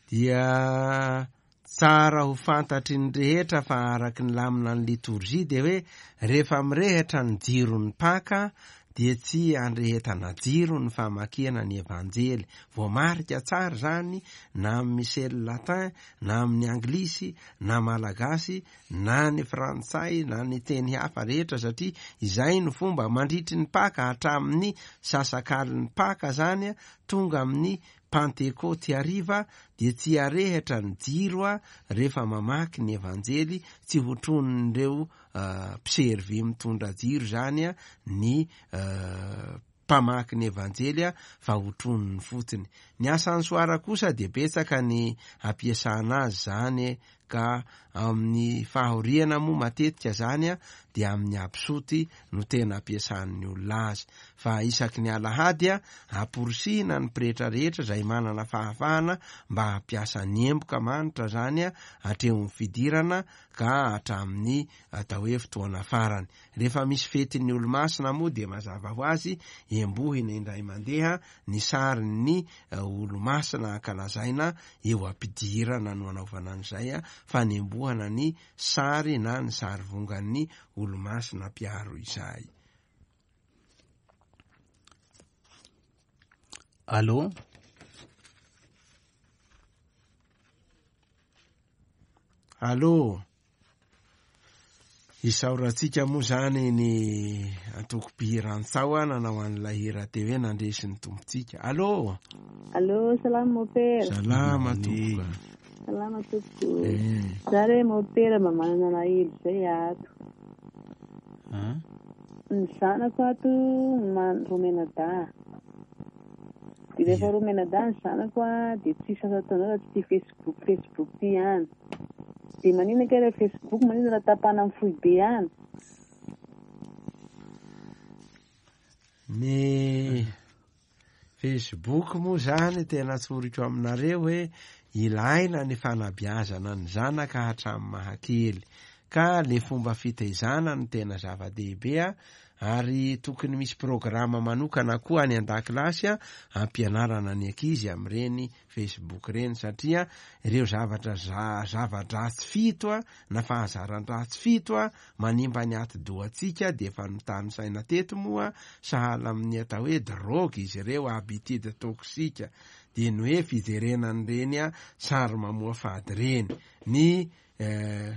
Dia tsara ho fantatry ny rehetra fa araky ny lamina ny litorjia dia hoe rehefa mirehitra ny jiron'ny paka dia tsy andrehetana jiro ny famakiana ny evanjely. Voamarika tsara zany na amin'ny misely latin, na amin'ny anglisy, na malagasy, na ny frantsay, na ny teny hafa rehetra, satria izay no fomba mandritry ny paka hatramin'ny sasakalin'ny paka zany tonga amin'ny Pantekoty hariva dia tsy arehitra ny jiro a rehefa mamaky ny evanjely, tsy hotronin'ireo mpiservy mitondra jiro zany a ny mpamaky ny evanjely a, fa hotroniny fotsiny. Ny asansoara kosa dia betsaka ny ampiasana azy zany, ka amin'ny fahoriana moa matetika zany a dia amin'ny absoty no tena ampiasan'ny olona azy, fa isaky ny alahady a amporisihina ny pretra rehetra izay manana fahafahana mba hampiasa ny emboka manitra zany a hatreo amin'ny fidirana ka hatramin'ny atao hoe fotoana farany. Rehefa misy fetin'ny olomasina moa dia mazava ho azy embohina indray mandeha ny sarin'ny olomasina ankalazaina eo am-pidirana no anaovana an'izay a, fa nembohana ny sary na ny sary vongan'ny olomasina mpiaro izay. Allo. Allo. Isaorantsika moa zany ny antoko mpihira-ntsao nanao an'ilay hira teo hoe nandresy ny tompontsika. Allo. Allo, salama mopera. Salama tompoko. Salama tompoko. Za re mopera mba manana alahelo zay ato. Ny zanako ato romenadahy. Dia rehefa romenadahy ny zanako a dia tsisy asa ataonao raha tsy tia Facebook, Facebook ty ihany. Dia maninona kay raha Facebook, maninona raha tapahana amin'ny foibe ihany? Ny Facebook moa zany tena tsoriko aminareo hoe ilaina ny fanabeazana ny zanaka hatramin'ny mahakely, ka le fomba fitaizana no tena zava-dehibe a, ary tokony misy programa manokana koa any an-dakilasy a ampianarana ny ankizy amin'ireny Facebook ireny, satria ireo zavatra zava-dratsy fito a na fahazaran-dratsy fito a manimba ny atidohantsika dia efa notanisaina teto moa, sahala amin'ny atao hoe drogue izy ireo, habitude toxique, dia ny hoe fijerena an'ireny a sary mamoafady ireny, ny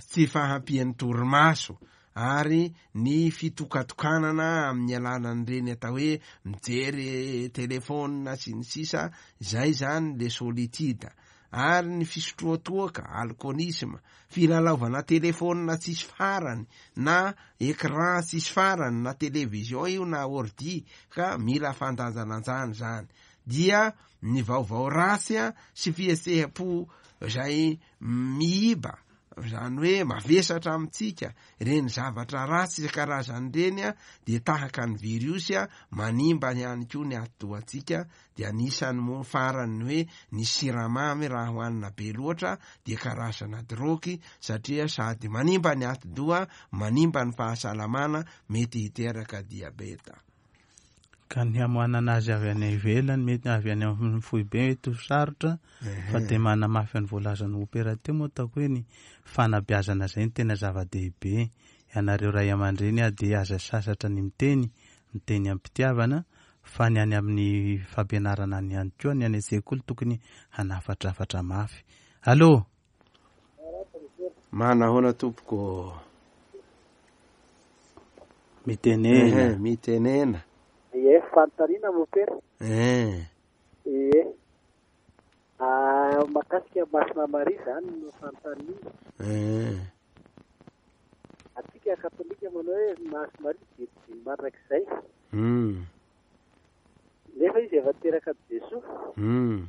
tsy fahampian'ny torimaso, ary ny fitokatokanana amin'ny alalan'ireny atao hoe mijery telefônina sy ny sisa, izay zany le solitude, ary ny fisotroatoaka, alcoolisme, filalaovana telefônina tsisy farany na écran tsisy farany na télévision io na ordi, ka mila fandanjalanjana zany. Dia ny vaovao ratsy a sy fihetseham-po izay miiba, izany hoe mavesatra amintsika, ireny zavatra ratsy isan-karazany ireny a dia tahaka ny viriosy a manimba ihany koa ny atidohantsika. Dia anisany moa farany hoe ny siramamy raha hohanina be loatra dia karazana drogy, satria sady manimba ny atidoha, manimba ny fahasalamana, mety hiteraka diabeta. Ka ny hamoanana azy avy any ivelany, mety avy any amin'ny foibe mety ho sarotra, fa dia manamafy ny voalazan'ny opera teo moa ataoko hoe ny fanabeazana izay no tena zava-dehibe. Ianareo ray aman-dreny a dia aza sasatra ny miteny, miteny am-pitiavana, fa ny any amin'ny fampianarana any ihany koa, ny any an-tsekoly tokony hanafatrafatra mafy. Allô? Manahoana tompoko? Mitenena. Mitenena. Ie, fanontaniana mopera. Eh. Ie. Ah, mahakasika Masina Maria zany no fanontaniana. Eh. Atsika katolika manao hoe Masina Maria virjiny mandrakizay. Mm. Nefa izy efa teraka Jesoa. Mm.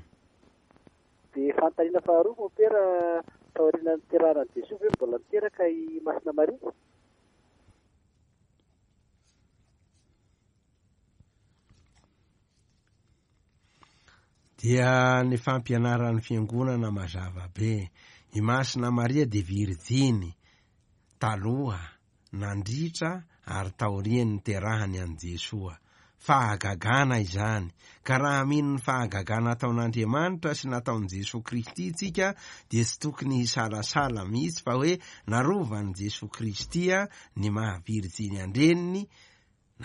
Dia fanontaniana faharoa mopera, taorian'ny niterahana Jesoa ve mbola niteraka i Masina Maria? Dia ny fampianaran'ny fiangonana mazava be. I Masina Maria dia virjiny taloha, nandritra ary taorian'ny niterahany an'i Jesoa. Fahagagana izany, ka raha mino ny fahagagana ataon'Andriamanitra sy nataon'i Jesoa Kristy tsika dia tsy tokony hisalasala mihitsy fa hoe narovan'i Jesoa Kristy ny maha virjiny an-dreniny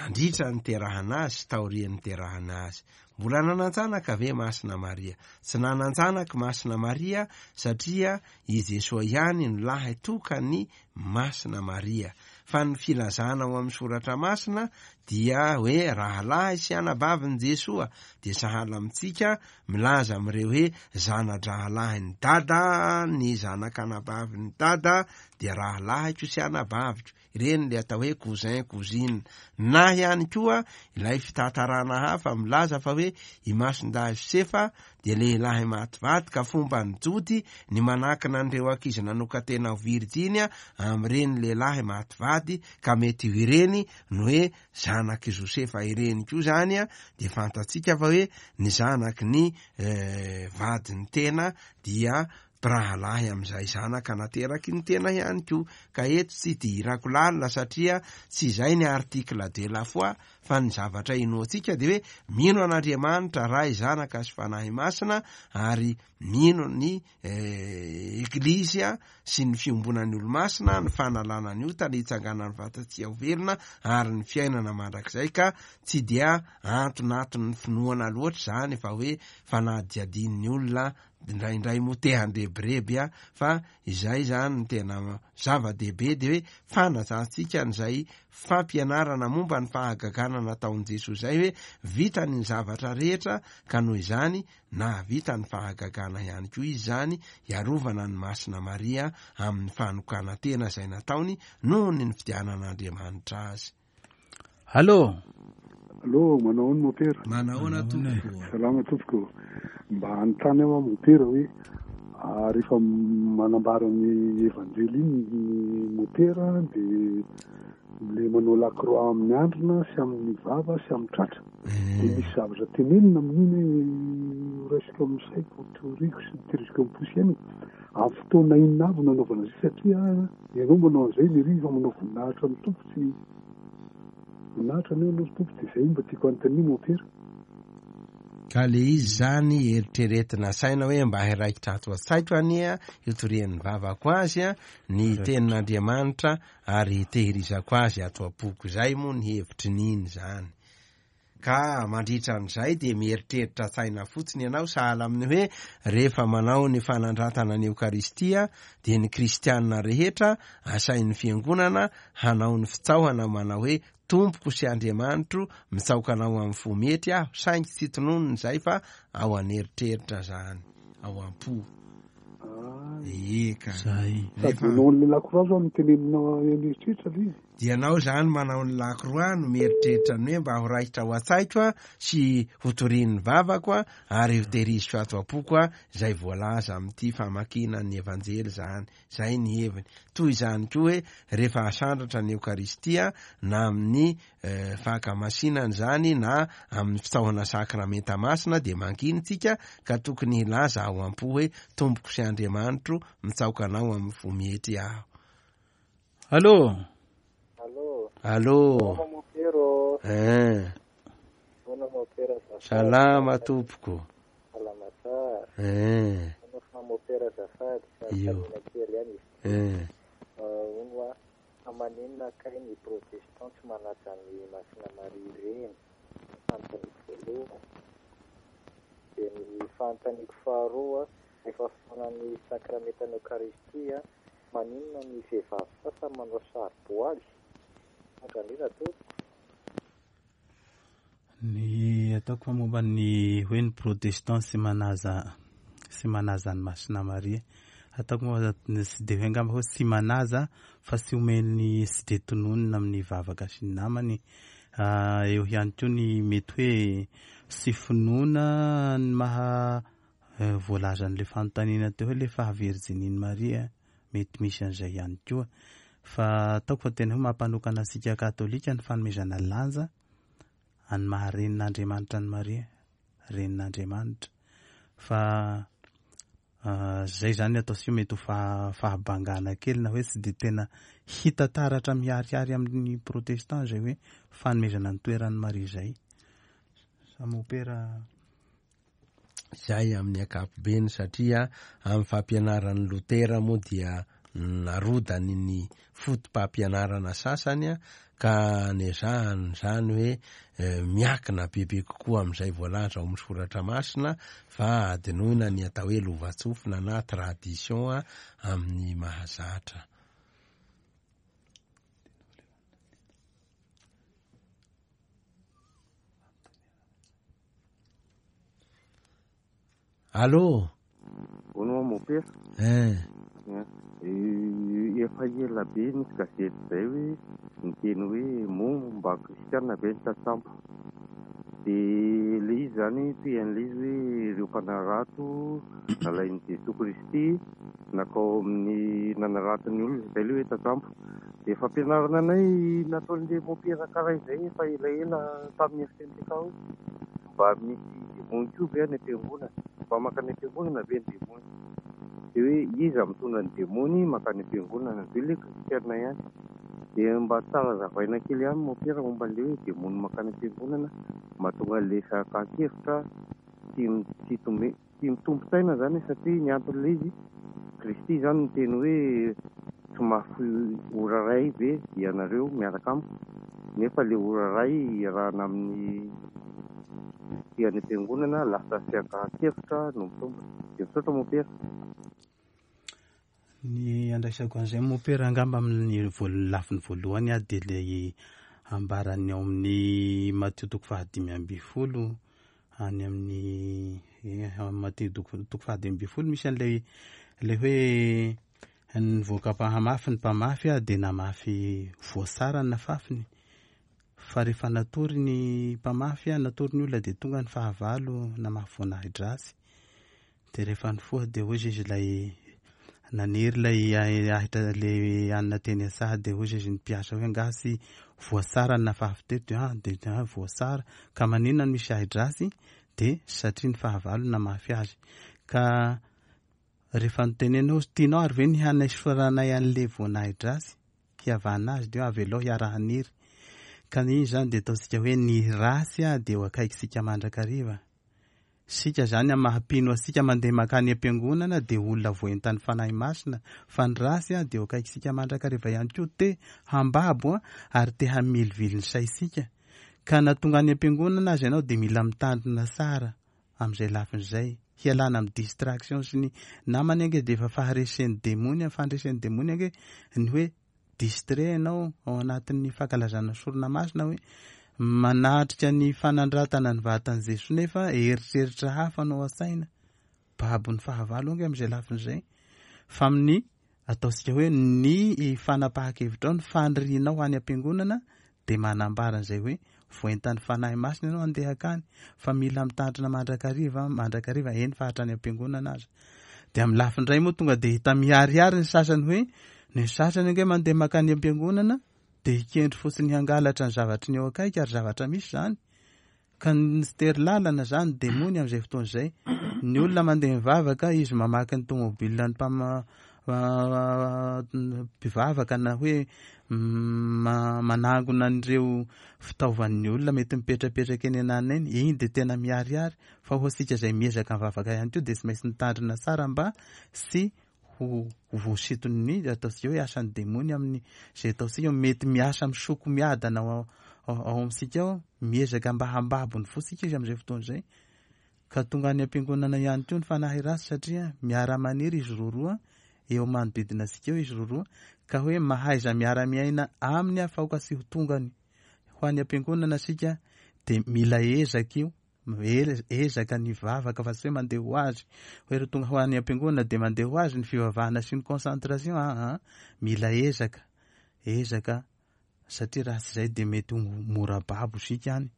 nandritra ny niterahana azy sy taorian'ny niterahana azy. Mbola nanan-janaka ve Masina Maria? Tsy nanan-janaka Masina Maria satria i Jesoa ihany no lahy tokany Masina Maria. Fa ny filazana ao amin'ny soratra masina dia hoe rahalahy sy anabavin'i Jesoa, dia sahala amintsika milaza amin'ireo hoe zana-drahalahin'ny dada, ny zanak'anabavin'ny dada dia rahalahiko sy anabaviko. Ireny le atao hoe cousin, cousine. Na ihany koa ilay fitantarana hafa milaza fa hoe i Masindahy Josefa dia lehilahy maty vady, ka fomba ny Jody ny manakina an'ireo ankizy nanokan-tena ho virjiny amin'ireny lehilahy maty vady, ka mety ho ireny no hoe zanak'i Josefa ireny koa zany a, dia fantatsika fa hoe ny zanaky ny eh, vadin'ny tena dia mpirahalahy amin'izay zanaka nateraky ny tena ihany koa. Ka eto tsy idirako lalina satria tsy izay ny article de la foi, fa ny zavatra inoantsika dia hoe mino an'Andriamanitra Ray, Zanaka sy Fanahy Masina, ary mino ny eh, Eglizia sy ny fiombonan'ny olo-masina, ny fanalana ny ota, ny hitsanganan'ny vatan-tsia ho velona ary ny fiainana mandrakizay. Ka tsy dia antonaton'ny finoana loatra izany fa hoe fanadihadian'ny olona indraindray moa te handrebireby a, fa izay zany ny tena zava-dehibe dia hoe fanajantsika an'izay fampianarana momba ny fahagagana nataon'i Jesoa izay, hoe vitany ny zavatra rehetra ka noho izany nahavita ny fahagagana ihany koa izy zany, hiarovana ny Masina Maria amin'ny fanokanan-tena izay nataony noho ny nifidianan'Andriamanitra azy. Allô? Allô, manao ahoana mopera? Manao ahoana tompoko? Salama tompoko. Mba hanontany aho mopera hoe rehefa manambara ny evanjely iny ny mopera dia le manao la croix amin'ny andrina sy amin'ny vava sy amin'ny tratra, dia misy zavatra tenenina amin'iny hoe raisiko amin'ny saiko, toriko sy tehiriziko amin'ny posy ihany. Amin'ny fotoana inona avy no nanaovana izay, satria ianao manao an'izay le ry fa manao voninahitra amin'ny tompo, tsy voninahitra anao ianao tompo, dia izay mba tiako hanontaniana mopera. Ka le izy zany eritreretina saina hoe mba hiraikitra ato an-tsaiko anie hitorian'ny vavako azy a, ny tenin'Andriamanitra ary hitehirizako azy ato am-poko. Izay moa ny hevitry n'iny zany. Ka mandritra an'izay dia mieritreritra saina fotsiny ianao, sahala amin'ny hoe rehefa manao ny fanandratana ny Eokaristia dia ny kristianina rehetra asain'ny fiangonana hanao ny fitsaohana manao hoe Tompoko sy Andriamanitro, mitsaoka anao amin'ny fo mety aho, saingy tsy tononina izay fa ao an'eritreritra zany, ao am-po. Eka. Zay. Sady manao an'ilay lakroa zao no teneninao an'eritreritra ilay izy. Dia ianao izany manao ny lakroa no mieritreritra ny hoe mba ho raikitra ao an-tsaiko a, sy ho torian'ny vavako a, ary ho tehiriziko ato am-poko a, izay voalaza amin'ity famakiana ny Evanjely izany. Izay ny heviny. Toy izany koa hoe rehefa asandratra ny Eokaristia na amin'ny eh, fankamasinana izany na amin'ny fitsaohana sakramenta masina dia mangina tsika ka tokony hilaza ao am-po hoe Tompoko sy Andriamanitro, mitsaoka anao amin'ny fo mietry aho. Allô? Allô? Allô? Salama mopero. Eh. Bona mopera azafady. Salama tompoko. Salama tsara. Eh. Bona fa mopera azafady. Io. Fanontaniana kely ihany izy. Eh. Ah, hono a, fa maninona kay ny protestant tsy manaja ny Masina Maria reny? Fanontaniako voalohany. Dia ny fanontaniako faharoa, rehefa fotoanan'ny sakramentan'ny Eokaristia, maninona ny vehivavy sasany manao saro-boaly? Misaotra indrindra tompoko. Ny ataoko fa momba ny hoe ny protestant sy manaja sy manaja ny Masina Maria. Ataoko moa tsy dia hoe angamba hoe tsy manaja fa tsy omeny tsy dia tononina amin'ny vavaka sy ny namany. Ah, eo ihany koa ny mety hoe tsy finoana ny maha eh, voalazan'ilay fanontaniana teo hoe ilay fahavirjinin'i Maria, mety misy an'izay ihany koa. Fa ataoko fa tena hoe mampanokana antsika katolika ny fanomezana lanja any maha renin'Andriamanitra an'i Maria, renin'Andriamanitra. Fa ah, zay zany ataontsika mety ho faha- fahabangana kely na hoe tsy dia tena hita taratra miharihary amin'ny protestant zay hoe fanomezana ny toeran'i Maria zay. Samy opera Izay amin'ny ankapobeny satria amin'ny fampianaran'ny Lotera moa dia narodany ny foto-pampianarana sasany ka nezahany izany hoe eh, miakina bebe kokoa amin'izay voalaza ao amin'ny soratra masina fa adinoina ny atao hoe lovantsofina na tradition amin'ny mahazatra. Allô? Hono aho mopera. Eh. Eh, efa ela be nisy gazety izay hoe niteny hoe moa mba kristiana be ny tantsambo. Dia ilay izy izany toy an'ilay izy hoe ireo mpanarato nalain'i Jesoa Kristy nakao amin'ny nanarato ny olona, izay ilay hoe tantsambo. Dia fampianarana anay nataon'ilay mopera karaha izay efa elaela tamin'ny F M T K hoe mba misy demony koa ve any am-piangonana? Mba mankany am-piangonana ve ny demony? Dia hoe iza mitondra ny demony mankany am-piangonana? Dia ilay kristiana ihany. Dia mba tsara zavaina kely ihany mopera momba an'ilay hoe demony mankany am-piangonana mahatonga an'ilay fakan-kevitra tsy m-, tsy tome-, tsy mitompo-tsaina izany satria ny anton'ilay izy Kristy izany niteny hoe tsy mahafoy ora iray ve ianareo miaraka amiko, nefa ilay ora iray iarahana amin'ny ty any am-piangonana lasa fiankahan-kevitra no mitombina. Dia misaotra mopera. Ny andraisako an'izay mopera angamba amin'ny voal-, lafiny voalohany aho dia ilay ambarany ao amin'ny Matio toko fahadimy amby folo any amin'ny, eh, Matio toko, toko fahadimy amby folo misy an'ilay, ilay hoe nivoaka mpahamafy ny mpamafy aho dia namafy voasara ny nafafiny. Fa rehefa natory ny mpamafy aho, natory ny olona dia tonga ny fahavalo namafy voanahidrasy. Dia rehefa nifoha dia hoy izy ilay naniry ilay ahitra ilay anona teny an-tsaha dia hoy izy ny mpiasa hoe angaha tsy voasara ny nafafy teto? Dia, ah, dia, ah, voasara. Ka maninona no misy ahidrasy? Dia satria ny fahavalo namafy azy. Ka rehefa nitenenao hoe tianao ary ve ny hanaisoranay an'ilay voanahidrasy hiavana azy dia avelao hiara-haniry. Ka iny izany dia ataontsika hoe ny ratsy a dia eo akaikitsika mandrakariva. Sika izany amin'ny maha-mpino antsika mandeha mankany am-piangonana dia olona voaentan'ny Fanahy Masina, fa ny ratsy a dia eo akaikitsika mandrakariva ihany koa te hambabo a ary te hamilivily ny saintsika. Ka na tonga any am-piangonana aza ianao dia mila mitandrina tsara amin'izay lafin'izay, hialana amin'ny distraction sy ny namany ange dia efa faharesen'ny demony, fandresen'ny demony ange ny hoe distrait ianao ao anatin'ny fankalazana sorona masina hoe manatrika ny fanandratana ny vatan'i Jesoa nefa eritreritra hafa no ao an-tsaina. Babon'ny fahavalo ange amin'izay lafin'izay. Fa amin'ny Ataontsika hoe ny fanapahan-kevitrao, ny fanirianao any am-piangonana dia manambara an'izay hoe voentan'ny Fanahy Masina ianao handeha hankany, fa mila mitandrina mandrakariva, mandrakariva eny fa hatrany am-piangonana aza. Dia amin'ny lafiny iray moa tonga dia hita miharihary ny sasany hoe ny sasany ange mandeha mankany am-piangonana dia hikendry fotsiny hangalatra ny zavatry ny eo akaiky, ary zavatra misy izany. Ka ny tery lalana izany demony amin'izay fotoana izay. Ny olona mandeha mivavaka, izy mamaky ny tomobilina ny mpama-, mpivavaka na hoe manangona an'ireo fitaovan'ny olona mety mipetrapetraka eny ananona eny, iny dia tena miharihary. Fa ho antsika izay miezaka mivavaka ihany koa dia tsy maintsy mitandrina tsara mba tsy ho voasinton'ny ataontsika hoe asan'ny demony amin'ny izay ataontsika mety miasa misoko miadana ao, ao, ao amintsika ao, miezaka mba hambabo ny fontsika izy amin'izay fotoana izay. Ka tonga any am-piangonana ihany koa ny fanahy ratsy satria miara-maniry izy roa roa eo manodidina antsika eo izy roa roa, ka hoe mahaiza miara-miaina aminy afaoka tsy ho tongany ho any am-piangonana isika. Dia mila ezaka io, ezaka ny vavaka fa tsy hoe mandeha ho azy hoe raha tonga ho any am-piangonana dia mandeha ho azy ny fivavahana sy ny concentration. Aa mila ezaka, ezaka satria raha tsy izay dia mety ho mora babo isika any.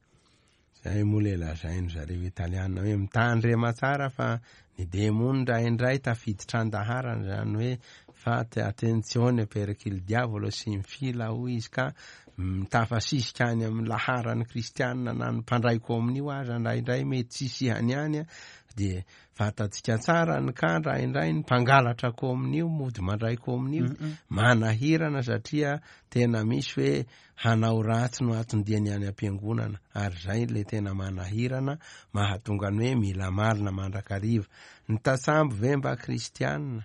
Zay moa le lazainy zareo italiana hoe mitandrema tsara fa ny demony indraindray tafiditra an-daharana, zany hoe fate attenzione perché il diavolo si infila hoy izy, ka mitafasisika any amin'ny laharan'ny kristianina na ny mpandray komonio aza indraindray mety tsisy ihany any. Dia fantatsika tsara ny ka indraindray ny mpangalatra komonio mody mandray komonio manahirana, satria tena misy hoe hanao ratsy no aton-diany any am-piangonana, ary zay le tena manahirana mahatonga ny hoe mila marina mandrakariva. Ny tatsambo ve mba kristianina?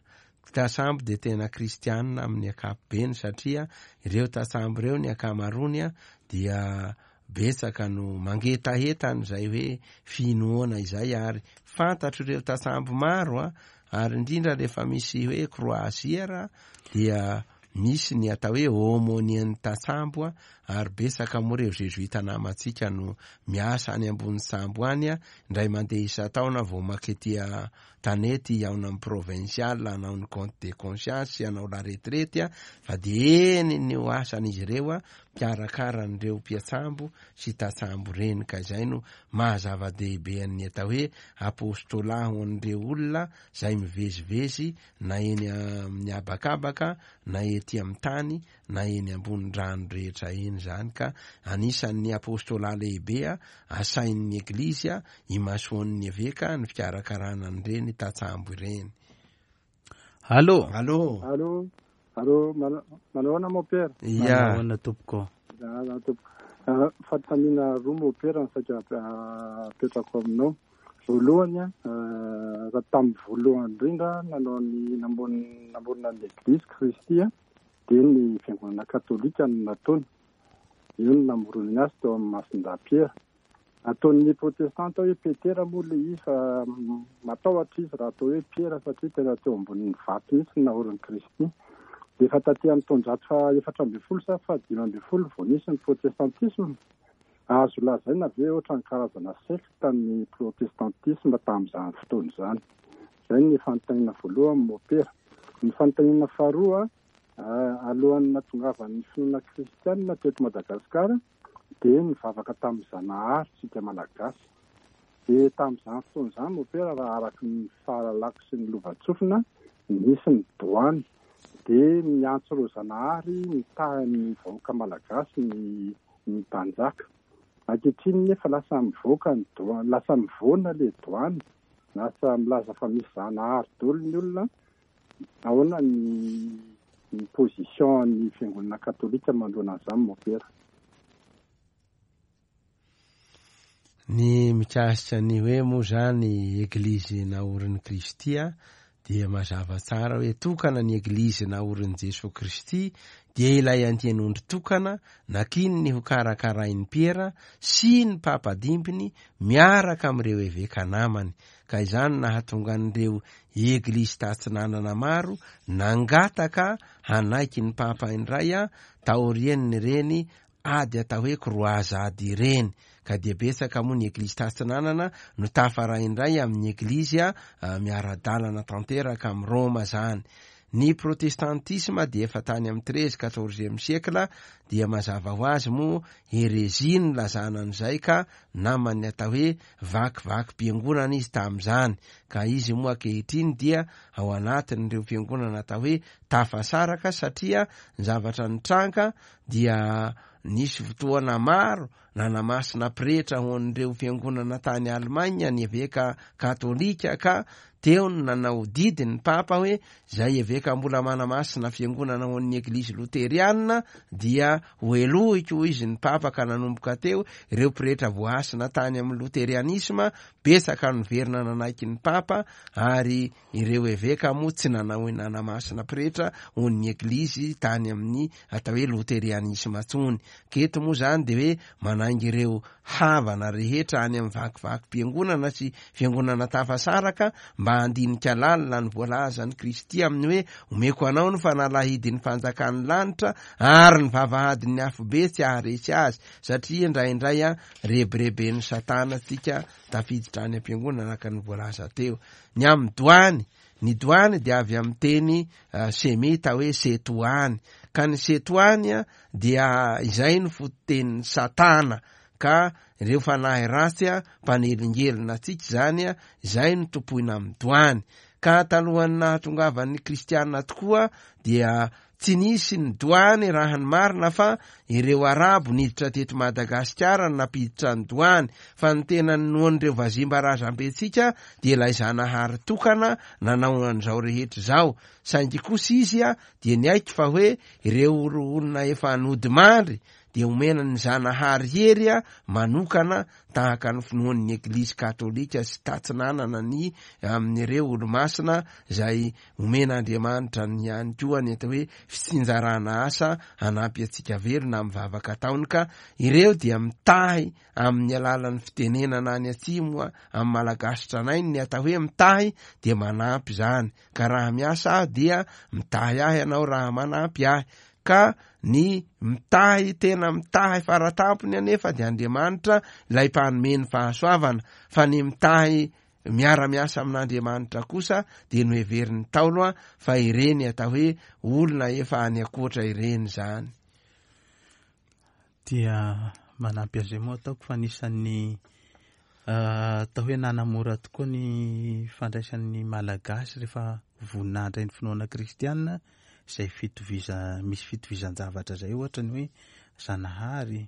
Tatsambo dia tena kristianina amin'ny ankapobeny, satria ireo tatsambo ireo ny ankamaroany dia betsaka no mangetaheta an'izay hoe finoana izay, ary fantatro ireo tatsambo maro a, ary indrindra rehefa misy hoe croisière dia misy ny atao hoe aumônier-n'ny tatsambo a, ary betsaka moa ireo jesuita namantsika no miasa any ambony sambo any a, indray mandeha isan-taona vao makety tanety hihaona amin'ny provincial hanao ny compte de conscience sy hanao la retraite a, fa dia eny ny asan'izy ireo a, mpiarakara an'ireo mpiatsambo sy tatsambo reny. Ka izay no mahazava-dehibe an'ny atao hoe apostolat ho an'ireo olona zay mivezivezy na eny amin'ny habakabaka na ety amin'ny tany na eny ambony rano rehetra eny zany. Ka anisan'ny apostolat lehibe a asain'ny eglizy a imasoan'ny eveka ny fikarakarana an'ireny tatsambo ireny. Allo. Allo. Allo. Allo, manahoana mopera? Ya. Manahoana tompoko? Ya, tompoko. Fanontaniana roa mopera ny saika apetrako aminao. Voalohany, raha tamin'ny voalohany indrindra nanao ny namorona ny Eglizy Kristy dia ny fiangonana katolika no nataony. Io no namoronany azy teo amin'ny Masindahy Piera. Ataon'ny protestanta hoe Petera moa le izy, fa matahotra izy raha atao hoe Piera satria tena teo ambonin'ny vato mihitsy ny naorin'i Kristy. Dia efa taty amin'ny taonjato fa efatra ambin'ny folo sa fa dimy ambin'ny folo vao nisy ny protestantisme. Azo lazaina ve ohatra ny karazana sekta ny protestantisme tamin'izany fotoana izany? Izay ny fanontaniana voalohany mopera. Ny fanontaniana faharoa, alohan'ny nahatongavan'ny finoana kristianina teto Madagasikara dia nivavaka tamin'ny Zanahary tsika malagasy. Dia tamin'izany fotoana izany mopera, raha araka ny fahalalako sy ny lovantsofina, nisy ny doany. Dia miantso ireo Zanahary mitaha ny vahoaka malagasy ny, ny mpanjaka. Ankehitriny nefa lasa mivoaka ny doany, lasa mivoana le doany, lasa milaza fa misy Zanahary daholo ny olona. Ahoana ny, ny position ny fiangonana katolika manoloana an'izany mopera? Ny mikasika ny hoe moa zany eglizy naorin'i Kristy a, dia mazava tsara hoe tokana ny eglizy naorin'i Jesoa Kristy, dia ilay andian'ondry tokana nakininy ho karakarain'i Piera sy ny papa dimbiny miaraka amin'ireo eveka namany. Ka izany nahatonga an'ireo eglizy tatsinanana maro nangataka hanaiky ny papa indray a, taorian'ireny ady atao hoe kroazady ireny. Ka dia betsaka moa ny eglizy tatsinanana no tafaray indray amin'ny eglizy a, miara-dalana tanteraka amin'ny Roma zany. Ny protestantisme dia efa tany amin'ny treize quatorzième siècle, dia mazava ho azy moa hérésie no lazana an'izay, ka naman'ny atao hoe vakivakim-piangonana izy tamin'izany, ka izy moa ankehitriny dia ao anatin'ireo fiangonana atao hoe tafasaraka, satria ny zavatra nitranga dia nisy fotoana maro nanamasina pretra ho an'ireo fiangonana tany Allemagne ny eveka katolika, ka teo no nanao didy ny papa hoe zay eveka mbola manamasina fiangonana ho an'ny eglizy luteriana dia ho helohiko izy ny papa. Ka nanomboka teo ireo pretra voahasina tany amin'ny luterianisma betsaka noverina nanaiky ny papa, ary ireo eveka moa tsy nanao nanamasina pretra ho an'ny eglizy tany amin'ny atao hoe luterianisma tsony. Keto moa zany de hoe manainga ireo havana rehetra any amin'ny vakivakim-piangonana sy fiangonana tafasaraka mba handinika lalina ny voalazan'i Kristy amin'ny hoe omeko anao ny fanalahidin'ny fanjakan'ny lanitra ary ny vavahadin'ny afobe tsy haharesy azy, satria indraindray a rebireben'ny satana tsika tafiditra any am-piangonana araka ny voalaza teo. Ny amin'ny doany, ny doany dia avy amin'ny teny uh, semita hoe setoany, ka ny setoany a dia izay no fototenin'ny satana, ka ireo fanahy ratsy a mpanelingelina antsika zany a izay no tompoina amin'ny doany. Ka talohan'ny nahatongavan'ny kristiana tokoa dia tsy nisy ny doany raha ny marina, fa ireo arabo niditra teto Madagasikara no nampiditra ny doany, fa ny tena ninoan'ireo vazimba razambentsika dia ilay Zanahary tokana nanao an'izao rehetra izao, saingy kosa izy a dia niaiky fa hoe ireo olona efa nodimandry dia omena ny Zanahary hery a manokana tahaka ny finoan'ny eglizy katolika sy tatsinanana ny amin'ireo olomasina izay omen'Andriamanitra ny ihany koa ny atao hoe fitsinjarana asa hanampy antsika velona amin'ny vavaka ataony. Ka ireo dia mitahy amin'ny alalan'ny fitenenana any atsimo amin'ny malagasy tranainy, ny atao hoe mitahy dia manampy zany, ka raha miasa aho dia mitahy ahy ianao raha manampy ahy. Ka ny mitahy tena mitahy faratampony anefa dia Andriamanitra ilay mpanome ny fahasoavana, fa ny mitahy miara-miasa amin'Andriamanitra kosa dia noheverin'ny Ntaolo a fa ireny atao hoe olona efa any ankoatra ireny zany. Dia manampy azy moa ataoko fa anisan'ny atao hoe nanamora tokoa ny fandraisan'ny malagasy rehefa voninahitra ny finoana kristiana, izay fitoviza misy fitovizan-javatra zay, ohatra ny hoe Zanahary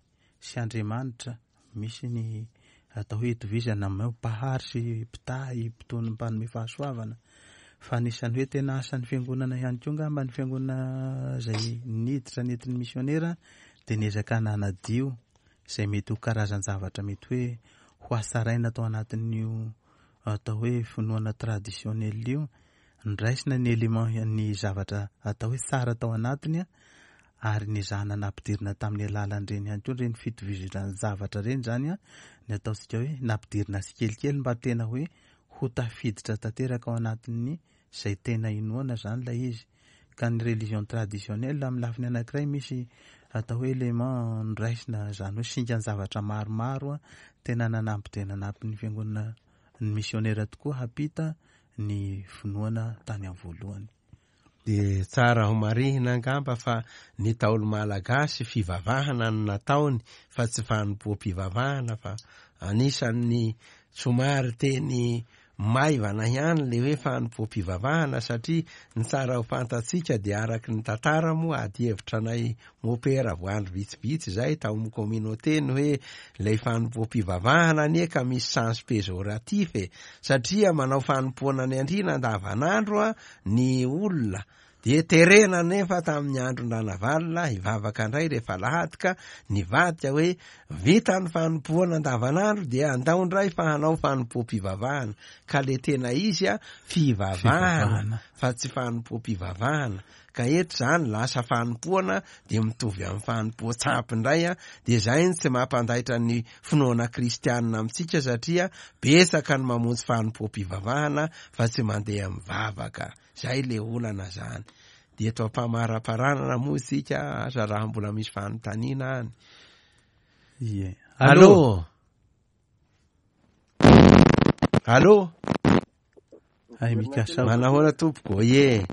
sy Andriamanitra, misy ny atao hoe itovizana amin'ny hoe mpahary sy mpitahy, mpitony mpanome fahasoavana. Fa anisan'ny hoe tena asan'ny fiangonana ihany koa angamba ny fiangonana izay niditra nentin'ny misionera dia niezaka nanadio izay mety ho karazan-javatra mety hoe ho asaraina tao anatin'io atao hoe finoana traditionnel io, ndraisina ny élément ny zavatra atao hoe tsara tao anatiny ary nizahana nampidirina tamin'ny alalan'ireny ihany koa ireny fitovizana zavatra ireny zany a, ny ataontsika hoe nampidirina tsikelikely mba tena hoe ho tafiditra tanteraka ao anatin'ny izay tena inoana zany ilay izy. Ka ny religion traditionnelle amin'ny lafiny anankiray misy atao hoe élément ndraisina zany hoe singan-javatra maromaro a, tena nanampy dia nanampy ny fiangonana ny misionera tokoa hampita ny finoana tany amin'ny voalohany. Dia tsara ho marihina angamba fa ny Ntaolo malagasy fivavahana no nataony fa tsy fanompoam-pivavahana, fa anisan'ny somary teny maivana ihany le hoe fanompoam-pivavahana, satria ny tsara ho fantatsika dia araky ny tantara moa ady hevitra anay mopera voandro vitsivitsy zay tao amin'ny communauté ny hoe ilay fanompoam-pivavahana anie ka misy sens péjoratif e, satria manao fanompoana ny andriana andavanandro a ny olona dia terena nefa tamin'ny andron-dRanavalona hivavaka indray rehefa alahady, ka nivadika hoe vita ny fanompoana andavanandro dia andao indray fa hanao fanompoam-pivavahana, ka le tena izy a fivavahana fa tsy fanompoam-pivavahana. Ka eto zany lasa fanompoana dia mitovy amin'ny fanompoan-tsampy indray a, dia zay ny tsy mampandaitra ny finoana kristianina amintsika, satria betsaka ny mamonjy fanompoam-pivavahana fa tsy mandeha mivavaka. Zay le olana zany. Dia eto am-pamaraparanana moa isika, asa raha mbola misy fanontaniana any. Ie. Allô? Allô? Ay, mikasa. Manahoana tompoko? Ie.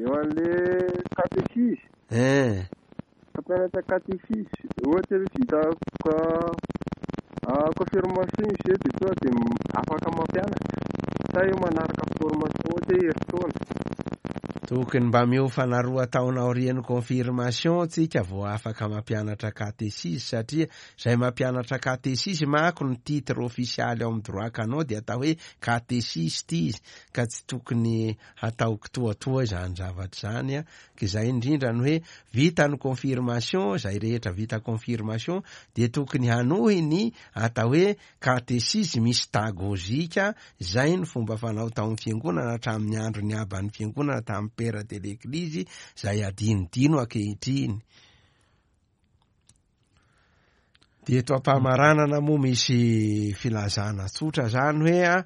Eo an'le katesizy. Eh. Mpampianatra katesizy. Ohatra hoe vita confirmation izy dia tonga dia afaka mampianatra. Sa eo manaraka formation ohatra hoe herintaona. Tokony mba miofana roa taona aorian'ny confirmation tsika vao afaka mampianatra katesizy, satria zay mampianatra katesizy manko ny titre ofisialy ao amin'ny droit canon dia atao hoe katesiste izy, ka tsy tokony hatao kitoatoa izany zavatra izany a. Ka izay indrindra ny hoe vita ny confirmation, zay rehetra vita confirmation dia tokony hanohy ny atao hoe katesizy mystagogika, zay ny fomba fanao tao amin'ny fiangonana hatramin'ny andro ny aban'ny fiangonana tamin'ny père de l'église, zay adinodino ankehitriny. Dia eto am-pamaranana moa misy filazana tsotra zany hoe a,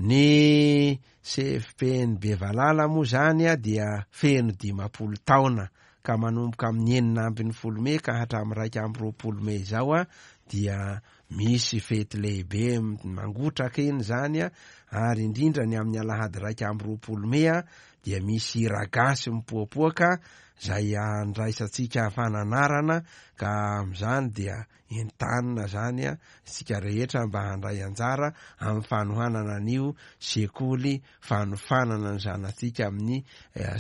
ny C F P N Bevalala moa zany a dia feno dimampolo taona, ka manomboka amin'ny enina ambin'ny folo mey ka hatramin'ny raika amby roapolo mey izao a dia misy fety lehibe mangotraka iny zany a, ary indrindra ny amin'ny alahady raika amby roapolo mey a dia misy hira gasy mipoapoaka zay andraisantsika fananarana, ka amin'izany dia entanina zany a isika rehetra mba handray anjara amin'ny fanohanana an'io sekoly fanofanana ny zanatsika amin'ny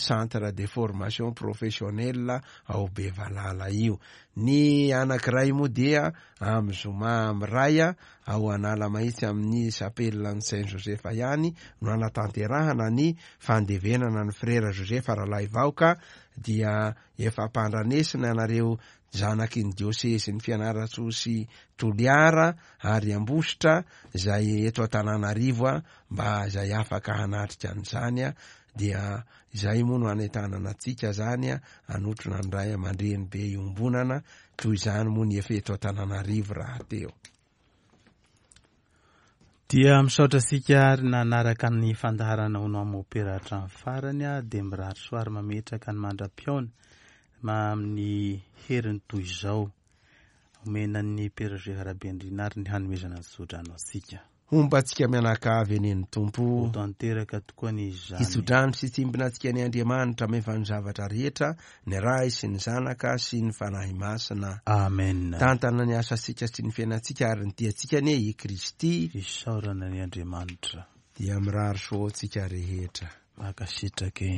centre de formation professionnelle ao Bevalala io. Ny anankiray moa dia amin'ny zoma amin'ny ray ao Analamahitsy amin'ny chapelle Saint Joseph ihany no anatanterahana ny fandevenana ny frera Joseph Ralaivaoka, dia efa ampandranesina anareo zanaky ny diôsezy ny Fianarantsoa sy Toliara ary Ambositra zay eto Antananarivo a, mba zay afaka hanatrika an'izany a, dia izay moa no anentanana antsika zany a, hanotrona ny ray aman-dreny be iombonana, toy izany moa ny efa eto Antananarivo rahateo. Dia misaotra antsika ary nanaraka ny fandaharana ho anao mopera hatramin'ny farany a, dia mirary soa ary mametraka ny mandra-pihaona amin'ny heriny toy izao. Omena ny Père Gérard Rabendrina ary ny hanomezana ny tsodrano antsika. Homba antsika mianakavy eny ny Tompo. Ho tanteraka tokoa ny izany. Hitsodrano sy tsimbina antsika ny Andriamanitra mefa ny zavatra rehetra, ny Ray sy ny Zanaka sy ny Fanahy Masina. Amen. Tantana ny asantsika sy ny fiainantsika ary ny tiantsika anie i Kristy. Isaorana ny Andriamanitra. Dia mirary soa antsika rehetra. Mankasitraka.